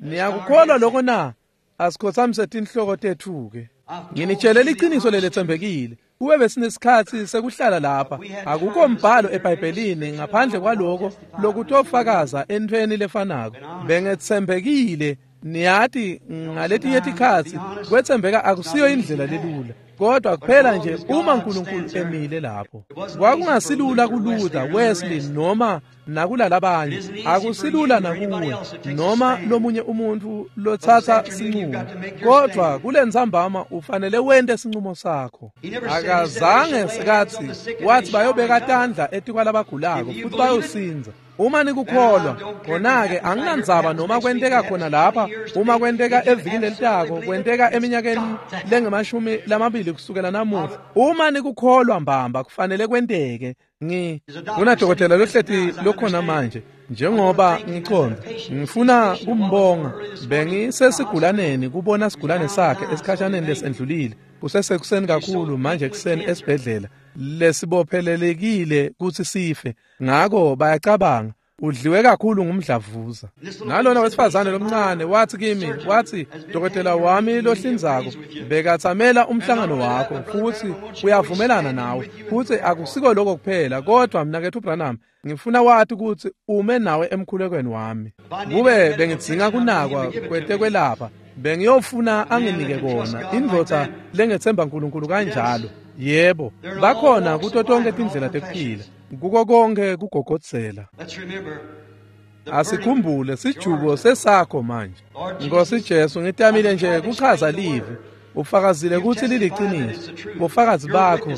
Niyakukholwa lokho na? Asikhothamise tinhloko tethu-ke. Nginitshele iqiniso lelethembekile. Kube besinesikhathi sekuhlala lapha, akukho mbhalo eBhayibhelini ngaphandle kwaloko lokutofakaza entweni lefanako. Bengethembekile, niyati ngaletinye tikhatsi kwethembeka akusiyo indlela lelula, kodwa kuphela nje uma uNkulunkulu emile lapho. Kwakungasilula kuLuther, Wesley noma nakulalabanye, akusilula nakuwe noma lomunye umuntu lotsatsa sinqumo, kodwa kulentsambama ufanele wente sinqumo sakho. Akazange sikathi wathi bayobeka tandla etikwalabagulako futhi bayosinza. Uma nikukholwa, khona-ke anginandzaba noma kwenteka khona lapha, uma kwenteka evikini lelitako, kwenteka eminyakeni lengemashumi lamabili kusukela namuhla. Uma nikukholwa mbamba kufanele kwenteke. Ngi kunadokotela lohleti lokhona manje, njengoba ngiconda, ngifuna kumbonga. Bengisesigulaneni kubona sigulane sakhe esikhashaneni lesendlulile. Kusesekuseni kakhulu manje ekuseni esibhedlela lesibophelelekile kutsi sife. Ngako bayacabanga udliwe kakhulu ngumdlavuza. Nalona wesifazane lomncane wathi kimi, wathi dokotela wami lohlinzako bekathamela umhlangano wakho futhi uyavumelana nawe, futhi akusiko lokho kuphela, kodwa mnaketfu Branham ngifuna wathi ukuthi ume nawe emkhulekweni wami. Kube bengidzinga kunakwa kwetekwelapha, bengiyofuna anginike kona. Indvodza lengethemba uNkulunkulu kanjalo. Yebo, bakhona kuto tonke tindlela tekuphila, kuko konke kugogodzela. Asikhumbule sijubo sesakho manje. Nkosi Jesu, ngitamile nje kuchaza livi. Ufakazile kutsi liliqiniso. Bufakazi bakho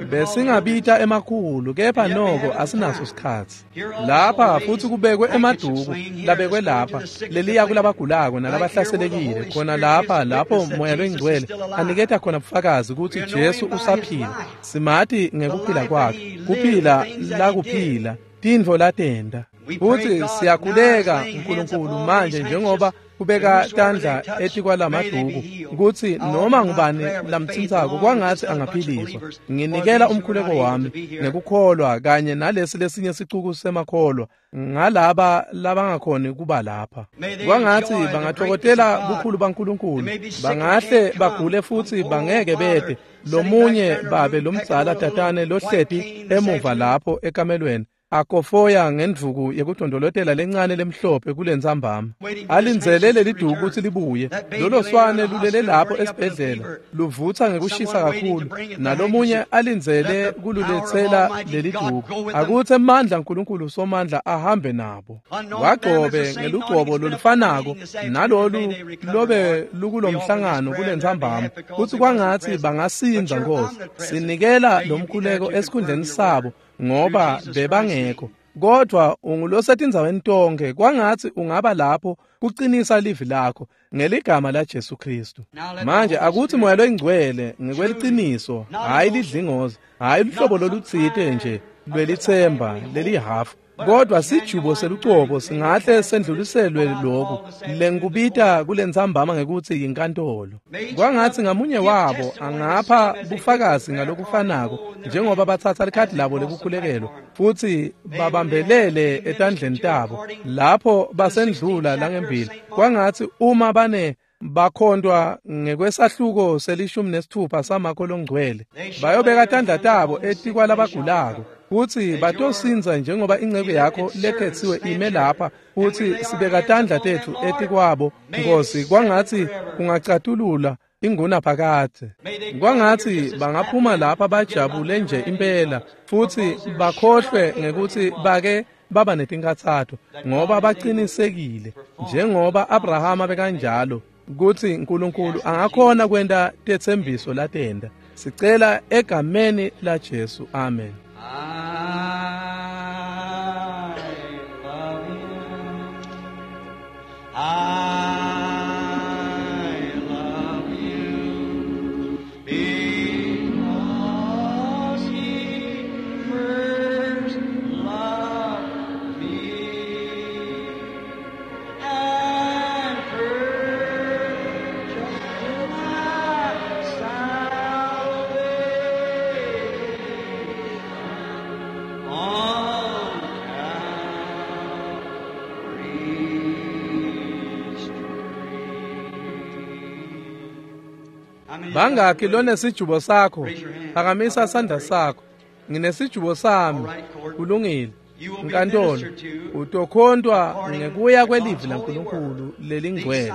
besingabita emakhulu, kepha noko asinaso sikhatsi. Lapha futhi kubekwe emaduku labekwe lapha leliya kulabagulako nalabahlaselekile khona lapha lapho Moya loyiNgcwele aniketa khona bufakazi kutsi Jesu usaphila. Simati ngekuphila kwakhe, kuphila lakuphila, tintfo latenta. Futhi siyakhuleka uNkulunkulu manje njengoba kubeka tandla etikwalamaduku kutsi noma ngubani lamtsintsako kwangatsi angaphiliswa. Nginikela umkhuleko wami ngekukholwa kanye nalesi lesinye sicuku semakholwa ngalaba labangakhoni kuba lapha. Kwangatsi bangatfokotela bukhulu baNkulunkulu, bangahle bagule futhi bangeke bete. Lomunye babe lomdzala tatane lohleti emuva lapho ekamelweni akofoya ngendvuku yekudondolotela lencane lemhlophe kulentsambama, alindzele leliduku kutsi libuye. Lolo swane lulele lapho esibhedlela luvutsa ngekushisa kakhulu, nalomunye alindzele kululetsela leliduku. Akutsi emandla uNkulunkulu somandla ahambe nabo. Wagcobe ngelugcobo lolufanako nalolu lobe lukulomhlangano kulentsambama, kutsi kwangatsi bangasindza. Nkosi, sinikela lomkhuleko esikhundleni sabo ngoba bebangekho, kodwa ungulosetindzaweni tonke. Kwangatsi ungaba lapho kuqinisa livi lakho ngeligama la Jesu Kristu. Manje akutsi Moya loyiNgcwele ngekweliciniso, hayi lidlingozi, hayi luhlobo lolutsite nje lwelithemba lelihafu, kodwa sijubo selucobo singahle sendluliselwe lokhu lengikubita kulentsambama ngekutsi yinkantolo. Kwangatsi ngamunye wabo angapha bufakazi ngalokufanako njengoba batsatsa likhadi labo lekukhulekelwa futhi babambelele etandleni tabo lapho basendlula langembili. Kwangatsi uma bane Bakhontwa ngekwesahluko selishumi nesithupha saMakho longcwele. Bayobeka tandla tabo etikwalabagulako kutsi batosindza njengoba inceku yakho lekhetsiwe ime lapha kutsi sibeka tandla tetfu etikwabo Nkosi, kwangatsi kungacatulula ingunaphakadze. Kwangatsi bangaphuma lapha bajabule nje impela futsi bakhohlwe ngekutsi bake baba netinkatsato, ngoba bacinisekile njengoba Abrahama bekanjalo kutsi uNkulunkulu angakhona kwenta tetsembiso latenda. Sicela egameni la Jesu, amen. I love you. I love you because he first loved me and purchased my salvation on Calvary's tree. Bangakhi lonesijubo sakho? Phakamisa sandla sakho. Nginesijubo sami. Kulungile. Nkantolo, utokhontwa ngekuya kwelivi laNkulunkulu lelingcwele.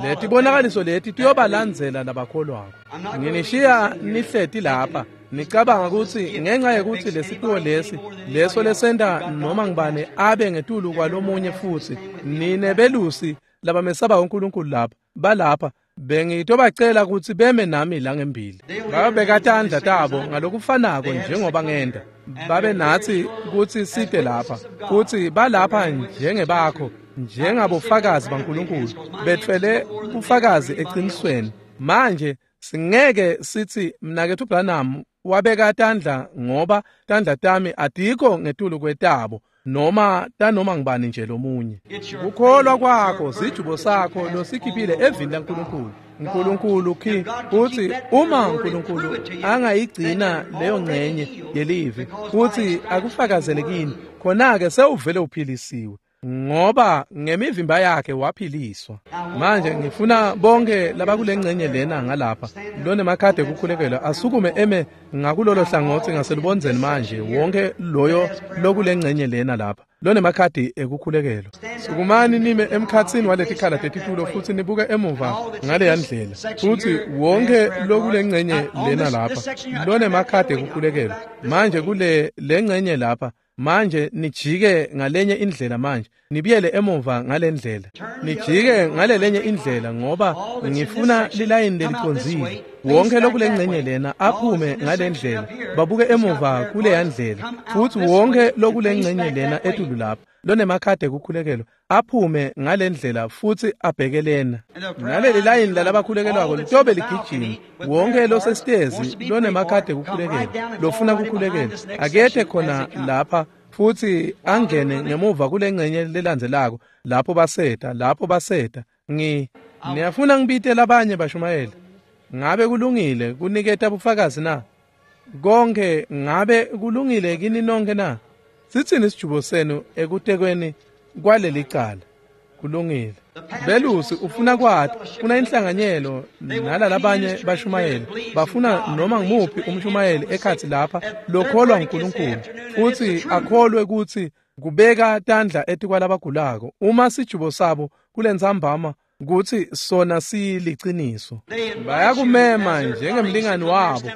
Letibonakaliso leti tiyobalandzela labakholwako. Nginishiya nihleti lapha nicabanga kutsi ngenxa yekutsi lesiphiwo lesi leso lesenta noma ngibane abe ngetulu kwalomunye, futsi nine belusi labamesaba uNkulunkulu lapha balapha bengitobacela kutsi beme nami la ngembili. Babeka tandla tabo ngalokufanako njengoba ngenta. Babe natsi kutsi site lapha futsi balapha njengebakho, njengabofakazi baNkulunkulu, betfwele bufakazi eqinisweni. Manje singeke sithi mnaketfu Branham wabeka tandla ngoba tandla tami atikho ngetulu kwetabo noma tanoma ngibani nje lomunye. Kukholwa kwakho sijubo sakho losikhiphile evini laNkulunkulu. uNkulunkulu khi uthi uma uNkulunkulu angayigcina leyo ngcenye yelivi futhi akufakazele kini, khona-ke sewuvele uphilisiwe, ngoba ngemivimba yakhe waphiliswa. Manje ngifuna bonke labakule ngcenye lena ngalapha lonemakhadi ekukhulekelwa asukume eme ngakulolo hlangothi ngaselubondzeni manje, wonke loyo lokule ngcenye lena lapha lonemakhadi ekukhulekelwa. Sukumani nime emkhatsini waletikhala tetitulo futhi nibuke emuva ngaleya ndlela. Futhi wonke lokule ngcenye lena lapha lonemakhadi ekukhulekelwa manje kule lengcenye lapha manje nijike ngalenye indlela, manje nibuyele emuva ngalendlela, nijike ngalelenye indlela, ngoba ngifuna lilayini lelicondzile. Wonke lokulengcenye lena aphume ngalendlela, babuke emuva kuleya ndlela, futhi wonke lokulengcenye lena etulu lapha lonemakhadi ekukhulekelwa aphume ngalendlela futhi abheke lena. Naleli layini lalabakhulekelwako litobe ligijima. Wonke losesitezi lonemakhadi ekukhulekelwa lofuna kukhulekelwa akethe khona lapha futhi angene ngemuva kule ngcenye lelandzelako lapho baseta lapho baseta. Ngi niyafuna ngibite labanye bashumayeli? Ngabe kulungile kuniketa bufakazi na? Konke ngabe kulungile kini nonke na? Sitsini isijubo senu ekutekweni kwaleli cala? Kulungile. Belusi ufuna kwati, ufuna inhlanganyelo nalalabanye bashumayeli, bafuna noma ngimuphi umshumayeli ekhathi lapha lokholwa uNkulunkulu futhi akholwe kutsi kubeka tandla etikwalabagulako uma sijubo sabo kulentsambama kutsi sona siliciniso. Bayakumema njengemlingani wabo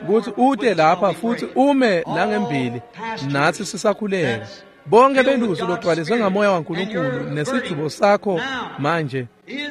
kutsi ute lapha futhi ume langembili natsi sisakhuleka. Bonke belusi logcwaliswe ngamoya waNkulunkulu nesijubo sakho manje.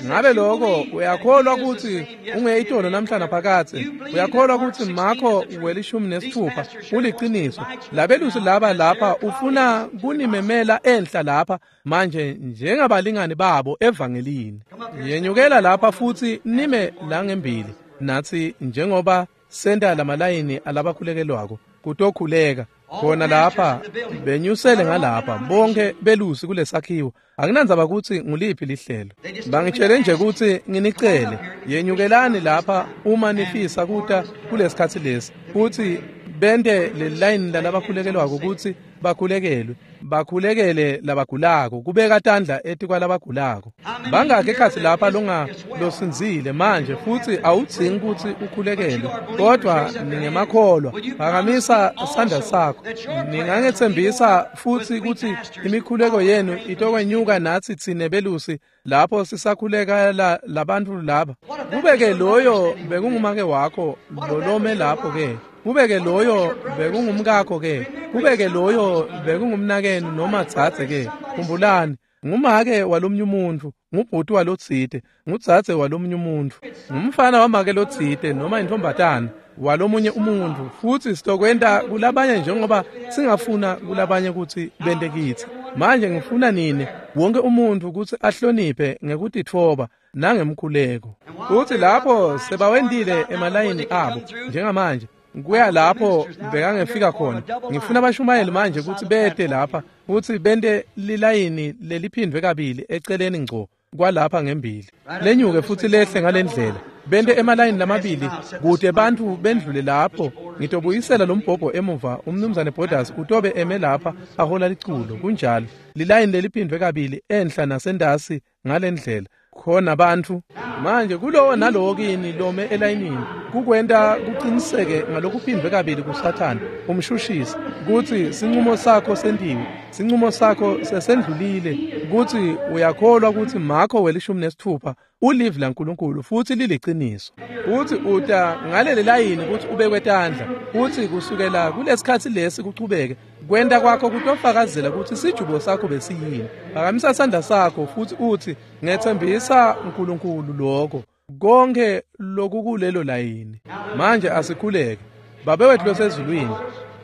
Ngabe lokho uyakholwa kutsi ungeyitolo namhlanje phakatsi? Uyakholwa kutsi Makho welishumi nesithupha uliciniso? Labelusi laba lapha ufuna kunimemela enhla lapha manje njengabalingani babo evangelini. Yenyukela lapha futhi nime langembili natsi njengoba senta lamalayini alabakhulekelwako kutokhuleka khona lapha. Benyusele ngalapha bonke belusi kulesakhiwo. Akunandzaba kutsi nguliphi lihlelo, bangitshele nje kutsi nginicele yenyukelani lapha uma nifisa kuta kulesikhatsi lesi futhi bente le line lalabakhulekelwako kutsi bakhulekelwe, bakhulekele labagulako, kubeka tandla etikwalabagulako. Bangakhi ekhatsi lapha longa losindzile manje futsi awudzingi kutsi ukhulekelwe, kodvwa ningemakholwa, phakamisa sandla sakho. Ningangetsembisa futsi kutsi imikhuleko yenu itokwenyuka natsi tsine belusi lapho sisakhulekela labantfu laba. Kube-ke loyo bekungumake wakho lolome lapho-ke, kube-ke loyo bekungumkakho-ke, kube-ke loyo bekungumnakenu noma dzadze-ke. Khumbulani, ngumake walomnye umuntfu, ngubhuti walotsite, ngudzadze walomnye umuntfu, ngumfana wamake lotsite noma intfombatana walomunye umuntfu, futsi sitokwenta kulabanye njengoba singafuna kulabanye kutsi bente kitsi. Manje ngifuna nini wonke umuntfu kutsi ahloniphe ngekutitfoba nangemkhuleko. Futsi lapho sebawentile emalayini abo njengamanje, kuya lapho bekangefika khona. Ngifuna abashumayeli manje kutsi bete lapha futsi bente lilayini leliphindwe kabili eceleni ngco kwalapha ngembili, lenyuke futsi lehle ngalendlela, bente emalayini lamabili kute bantfu bendlule lapho. Ngitobuyisela lo mbhobho emuva, umnumzane Borders utobe eme lapha ahola liculo. Kunjalo, lilayini leliphindwe kabili enhla nasentasi ngalendlela khona bantfu manje kulowo nalowo kini lome elayinini kukwenta kuqiniseke ngalokuphindwe kabili kuSathane umshushisi kutsi sinqumo sakho sentiwe, sinqumo sakho sesendlulile, kutsi uyakholwa kutsi Marko welishumi nesitfupha ulivi laNkulunkulu futsi liliciniso, futsi uta ngaleli layini kutsi ubekwe tandla, futsi kusukela kulesikhatsi lesi kuchubeke kwenta kwakho kutofakazela kutsi sijubo sakho besiyini. Phakamisa sandla sakho futsi utsi, ngetsembisa uNkulunkulu lokho konke lokukulelo layini. Manje asikhuleke. Babe wethu losezulwini,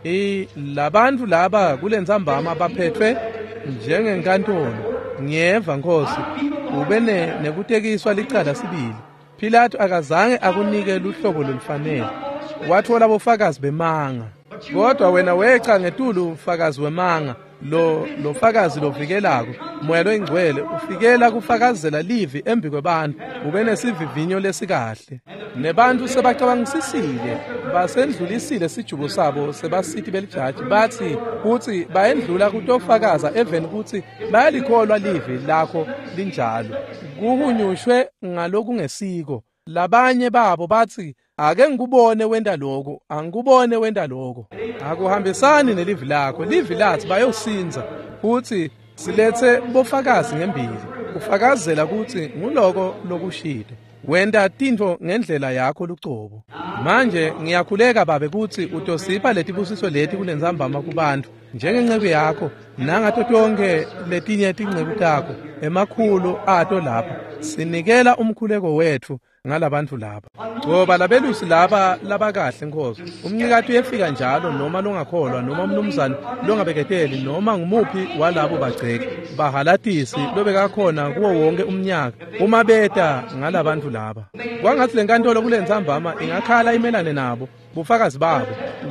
i labantfu laba kulentsambama baphethwe njengenkantolo. Ngiyeva Nkosi, ube nekutekiswa licala sibili. Pilato akazange akunike luhlobo lolufanele, watfola bofakazi bemanga, kodwa wena weca ngetulu ufakazi wemanga, lo lo fakazi lovikelako, Moya loyingcwele ufikela kufakazela livi embi kwebantfu, ube nesivivinyo lesikahle. Nebantfu sebacabangisisile, basendlulisile sijubo sabo sebasiti belijaji, batsi kutsi bayendlula kutofakaza eveni kutsi bayalikholwa livi lakho linjalo. Kuhunyushwe ngalokungesiko. Labanye babo batsi, ake ngikubone wenta lokho, angikubone wenta lokho. Akuhambisani nelivi lakho. Livi lathi bayosinza, futhi siletse bofakazi ngembili ufakazela kutsi nguloko lokushilo. Wenta tintfo ngendlela yakho lucobo. Manje ngiyakhuleka Babe kutsi utosipha letibusiso leti kulentsambama kubantfu njengenceku yakho nangato tonkhe letinye tinceku takho emakhulu ato lapha. Sinikela umkhuleko wetfu ngalabantfu laba. Ngoba labelusi laba labakahle Nkosi, umncikati uyefika njalo, noma longakholwa noma umnumzane longabeketeli noma ngumuphi walabo bagceki bahalatisi lobekakhona kuwo wonke umnyaka uma beta ngalabantfu laba. Kwangatsi lenkantolo kulentsambama ingakhala imelane nabo bufakazi babo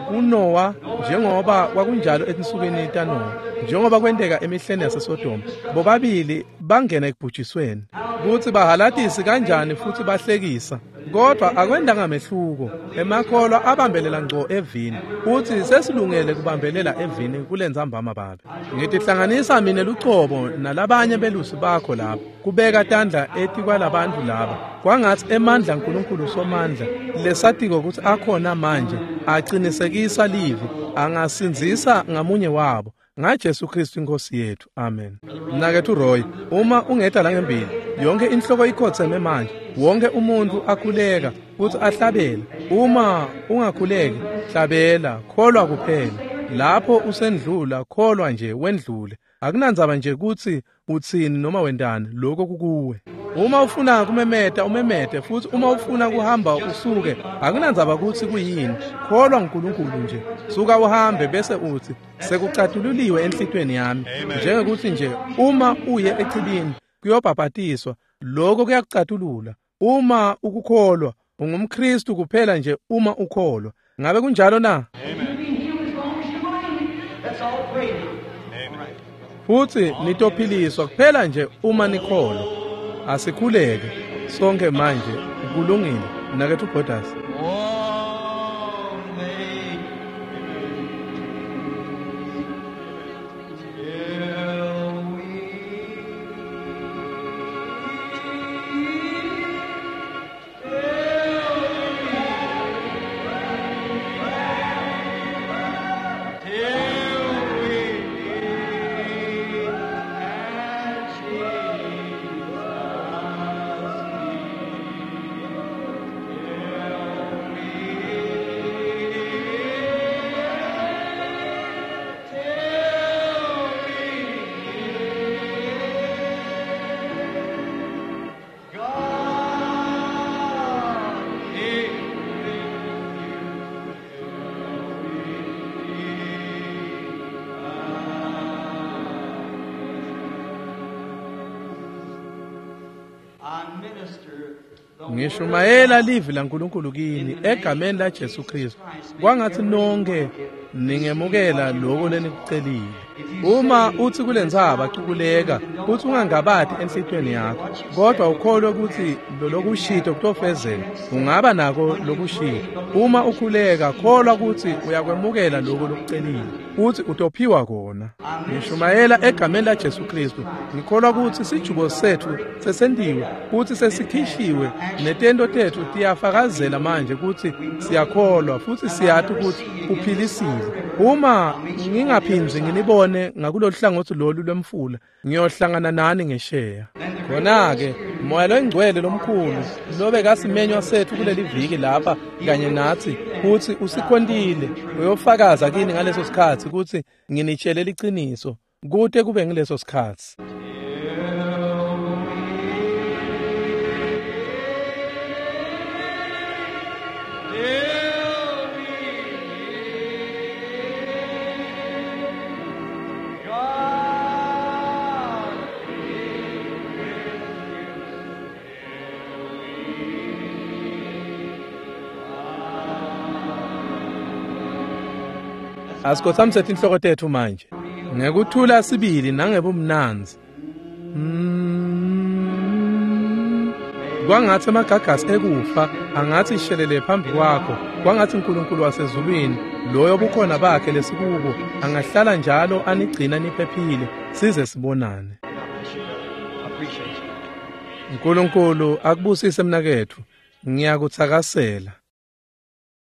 kuNowa, njengoba kwakunjalo etinsukwini taNowa, njengoba kwenteka emihleni yaseSodoma, bobabili bangena ekubhujisweni. Kutsi bahalatisi kanjani futsi bahlekisa, kodwa akwendanga mehluko. Emakholwa abambelela ngco evini, futsi sesilungele kubambelela evini kulentsambama Babe. Ngitihlanganisa mine lucobo nalabanye belusi bakho lapha kubeka tandla etikwalabantfu laba. Kwangatsi emandla aNkulunkulu Somandla lesatiko kutsi akhona manje aqinisekisa livi, angasindzisa ngamunye wabo ngaJesu Kristu inkosi yethu. Amen. Mnaketfu Roy, uma ungeta la ngembili, yonke inhloko ikhotseme manje, wonke umuntu akhuleka futsi ahlabela. Uma ungakhuleki, hlabela, kholwa kuphela. Lapho usendlula, kholwa nje wendlule. Akunandzaba nje kutsi utsini noma wentani, lokho kukuwe. Uma ufuna kumemeta, umemete, futhi uma ufuna kuhamba usuke, akunandzaba kutsi kuyini, kholwa uNkulunkulu nje. Suka uhambe bese uthi, sekucatululiwe enhlitweni yami. Njengekuthi nje uma uye echibini kuyobhabhatiswa, lokho kuyakucatulula. Uma ukukholwa, ungumKristu kuphela nje uma ukholwa. Ngabe kunjalo na? Futhi nitophiliswa kuphela nje uma nikholwa. Asikhuleke sonke manje. Kulungile mnaketfu Borders. Ngishumayela livi laNkulunkulu kini egameni laJesu Kristu. Kwangathi nonke ningemukela lokho lenikucelile. Uma uthi kulentsaba cukuleka, uthi ungangabati enhlitiyweni yakho, kodwa ukholwe ukuthi lolokushito kutofezeka, ungaba nako lokushito. Uma ukhuleka, kholwa ukuthi uyakwemukela lokho lokucelile, uthi utophiwa kona. Ngishumayela egameni laJesu Kristu. Ngikholwa ukuthi sijubo sethu sesentiwe, futhi sesikhishiwe, netento tethu tiyafakazela manje ukuthi siyakholwa futhi siyati ukuthi uphilisile. Uma ngingaphindzi nginibone ngakulolu hlangothi lolu lwemfula, ngiyohlangana nani ngesheya. Khona-ke Moya loNgcwele lomkhulu lobekasimenywa sethu kuleli viki lapha kanye nathi, futhi usikhontile, uyofakaza kini ngaleso sikhathi ukuthi nginitshele liciniso kute kube ngileso sikhathi. Asikhothamise tinhloko tethu manje ngekuthula sibili nangebumnandzi. Mm. Kwangathi amagagasi ekufa angathi shelele phambi kwakho, kwangathi uNkulunkulu wasezulwini loyo bukhona bakhe lesikubo angahlala njalo anigcina niphephile size sibonane. uNkulunkulu akubusise mnaketfu, ngiyakuthakasela.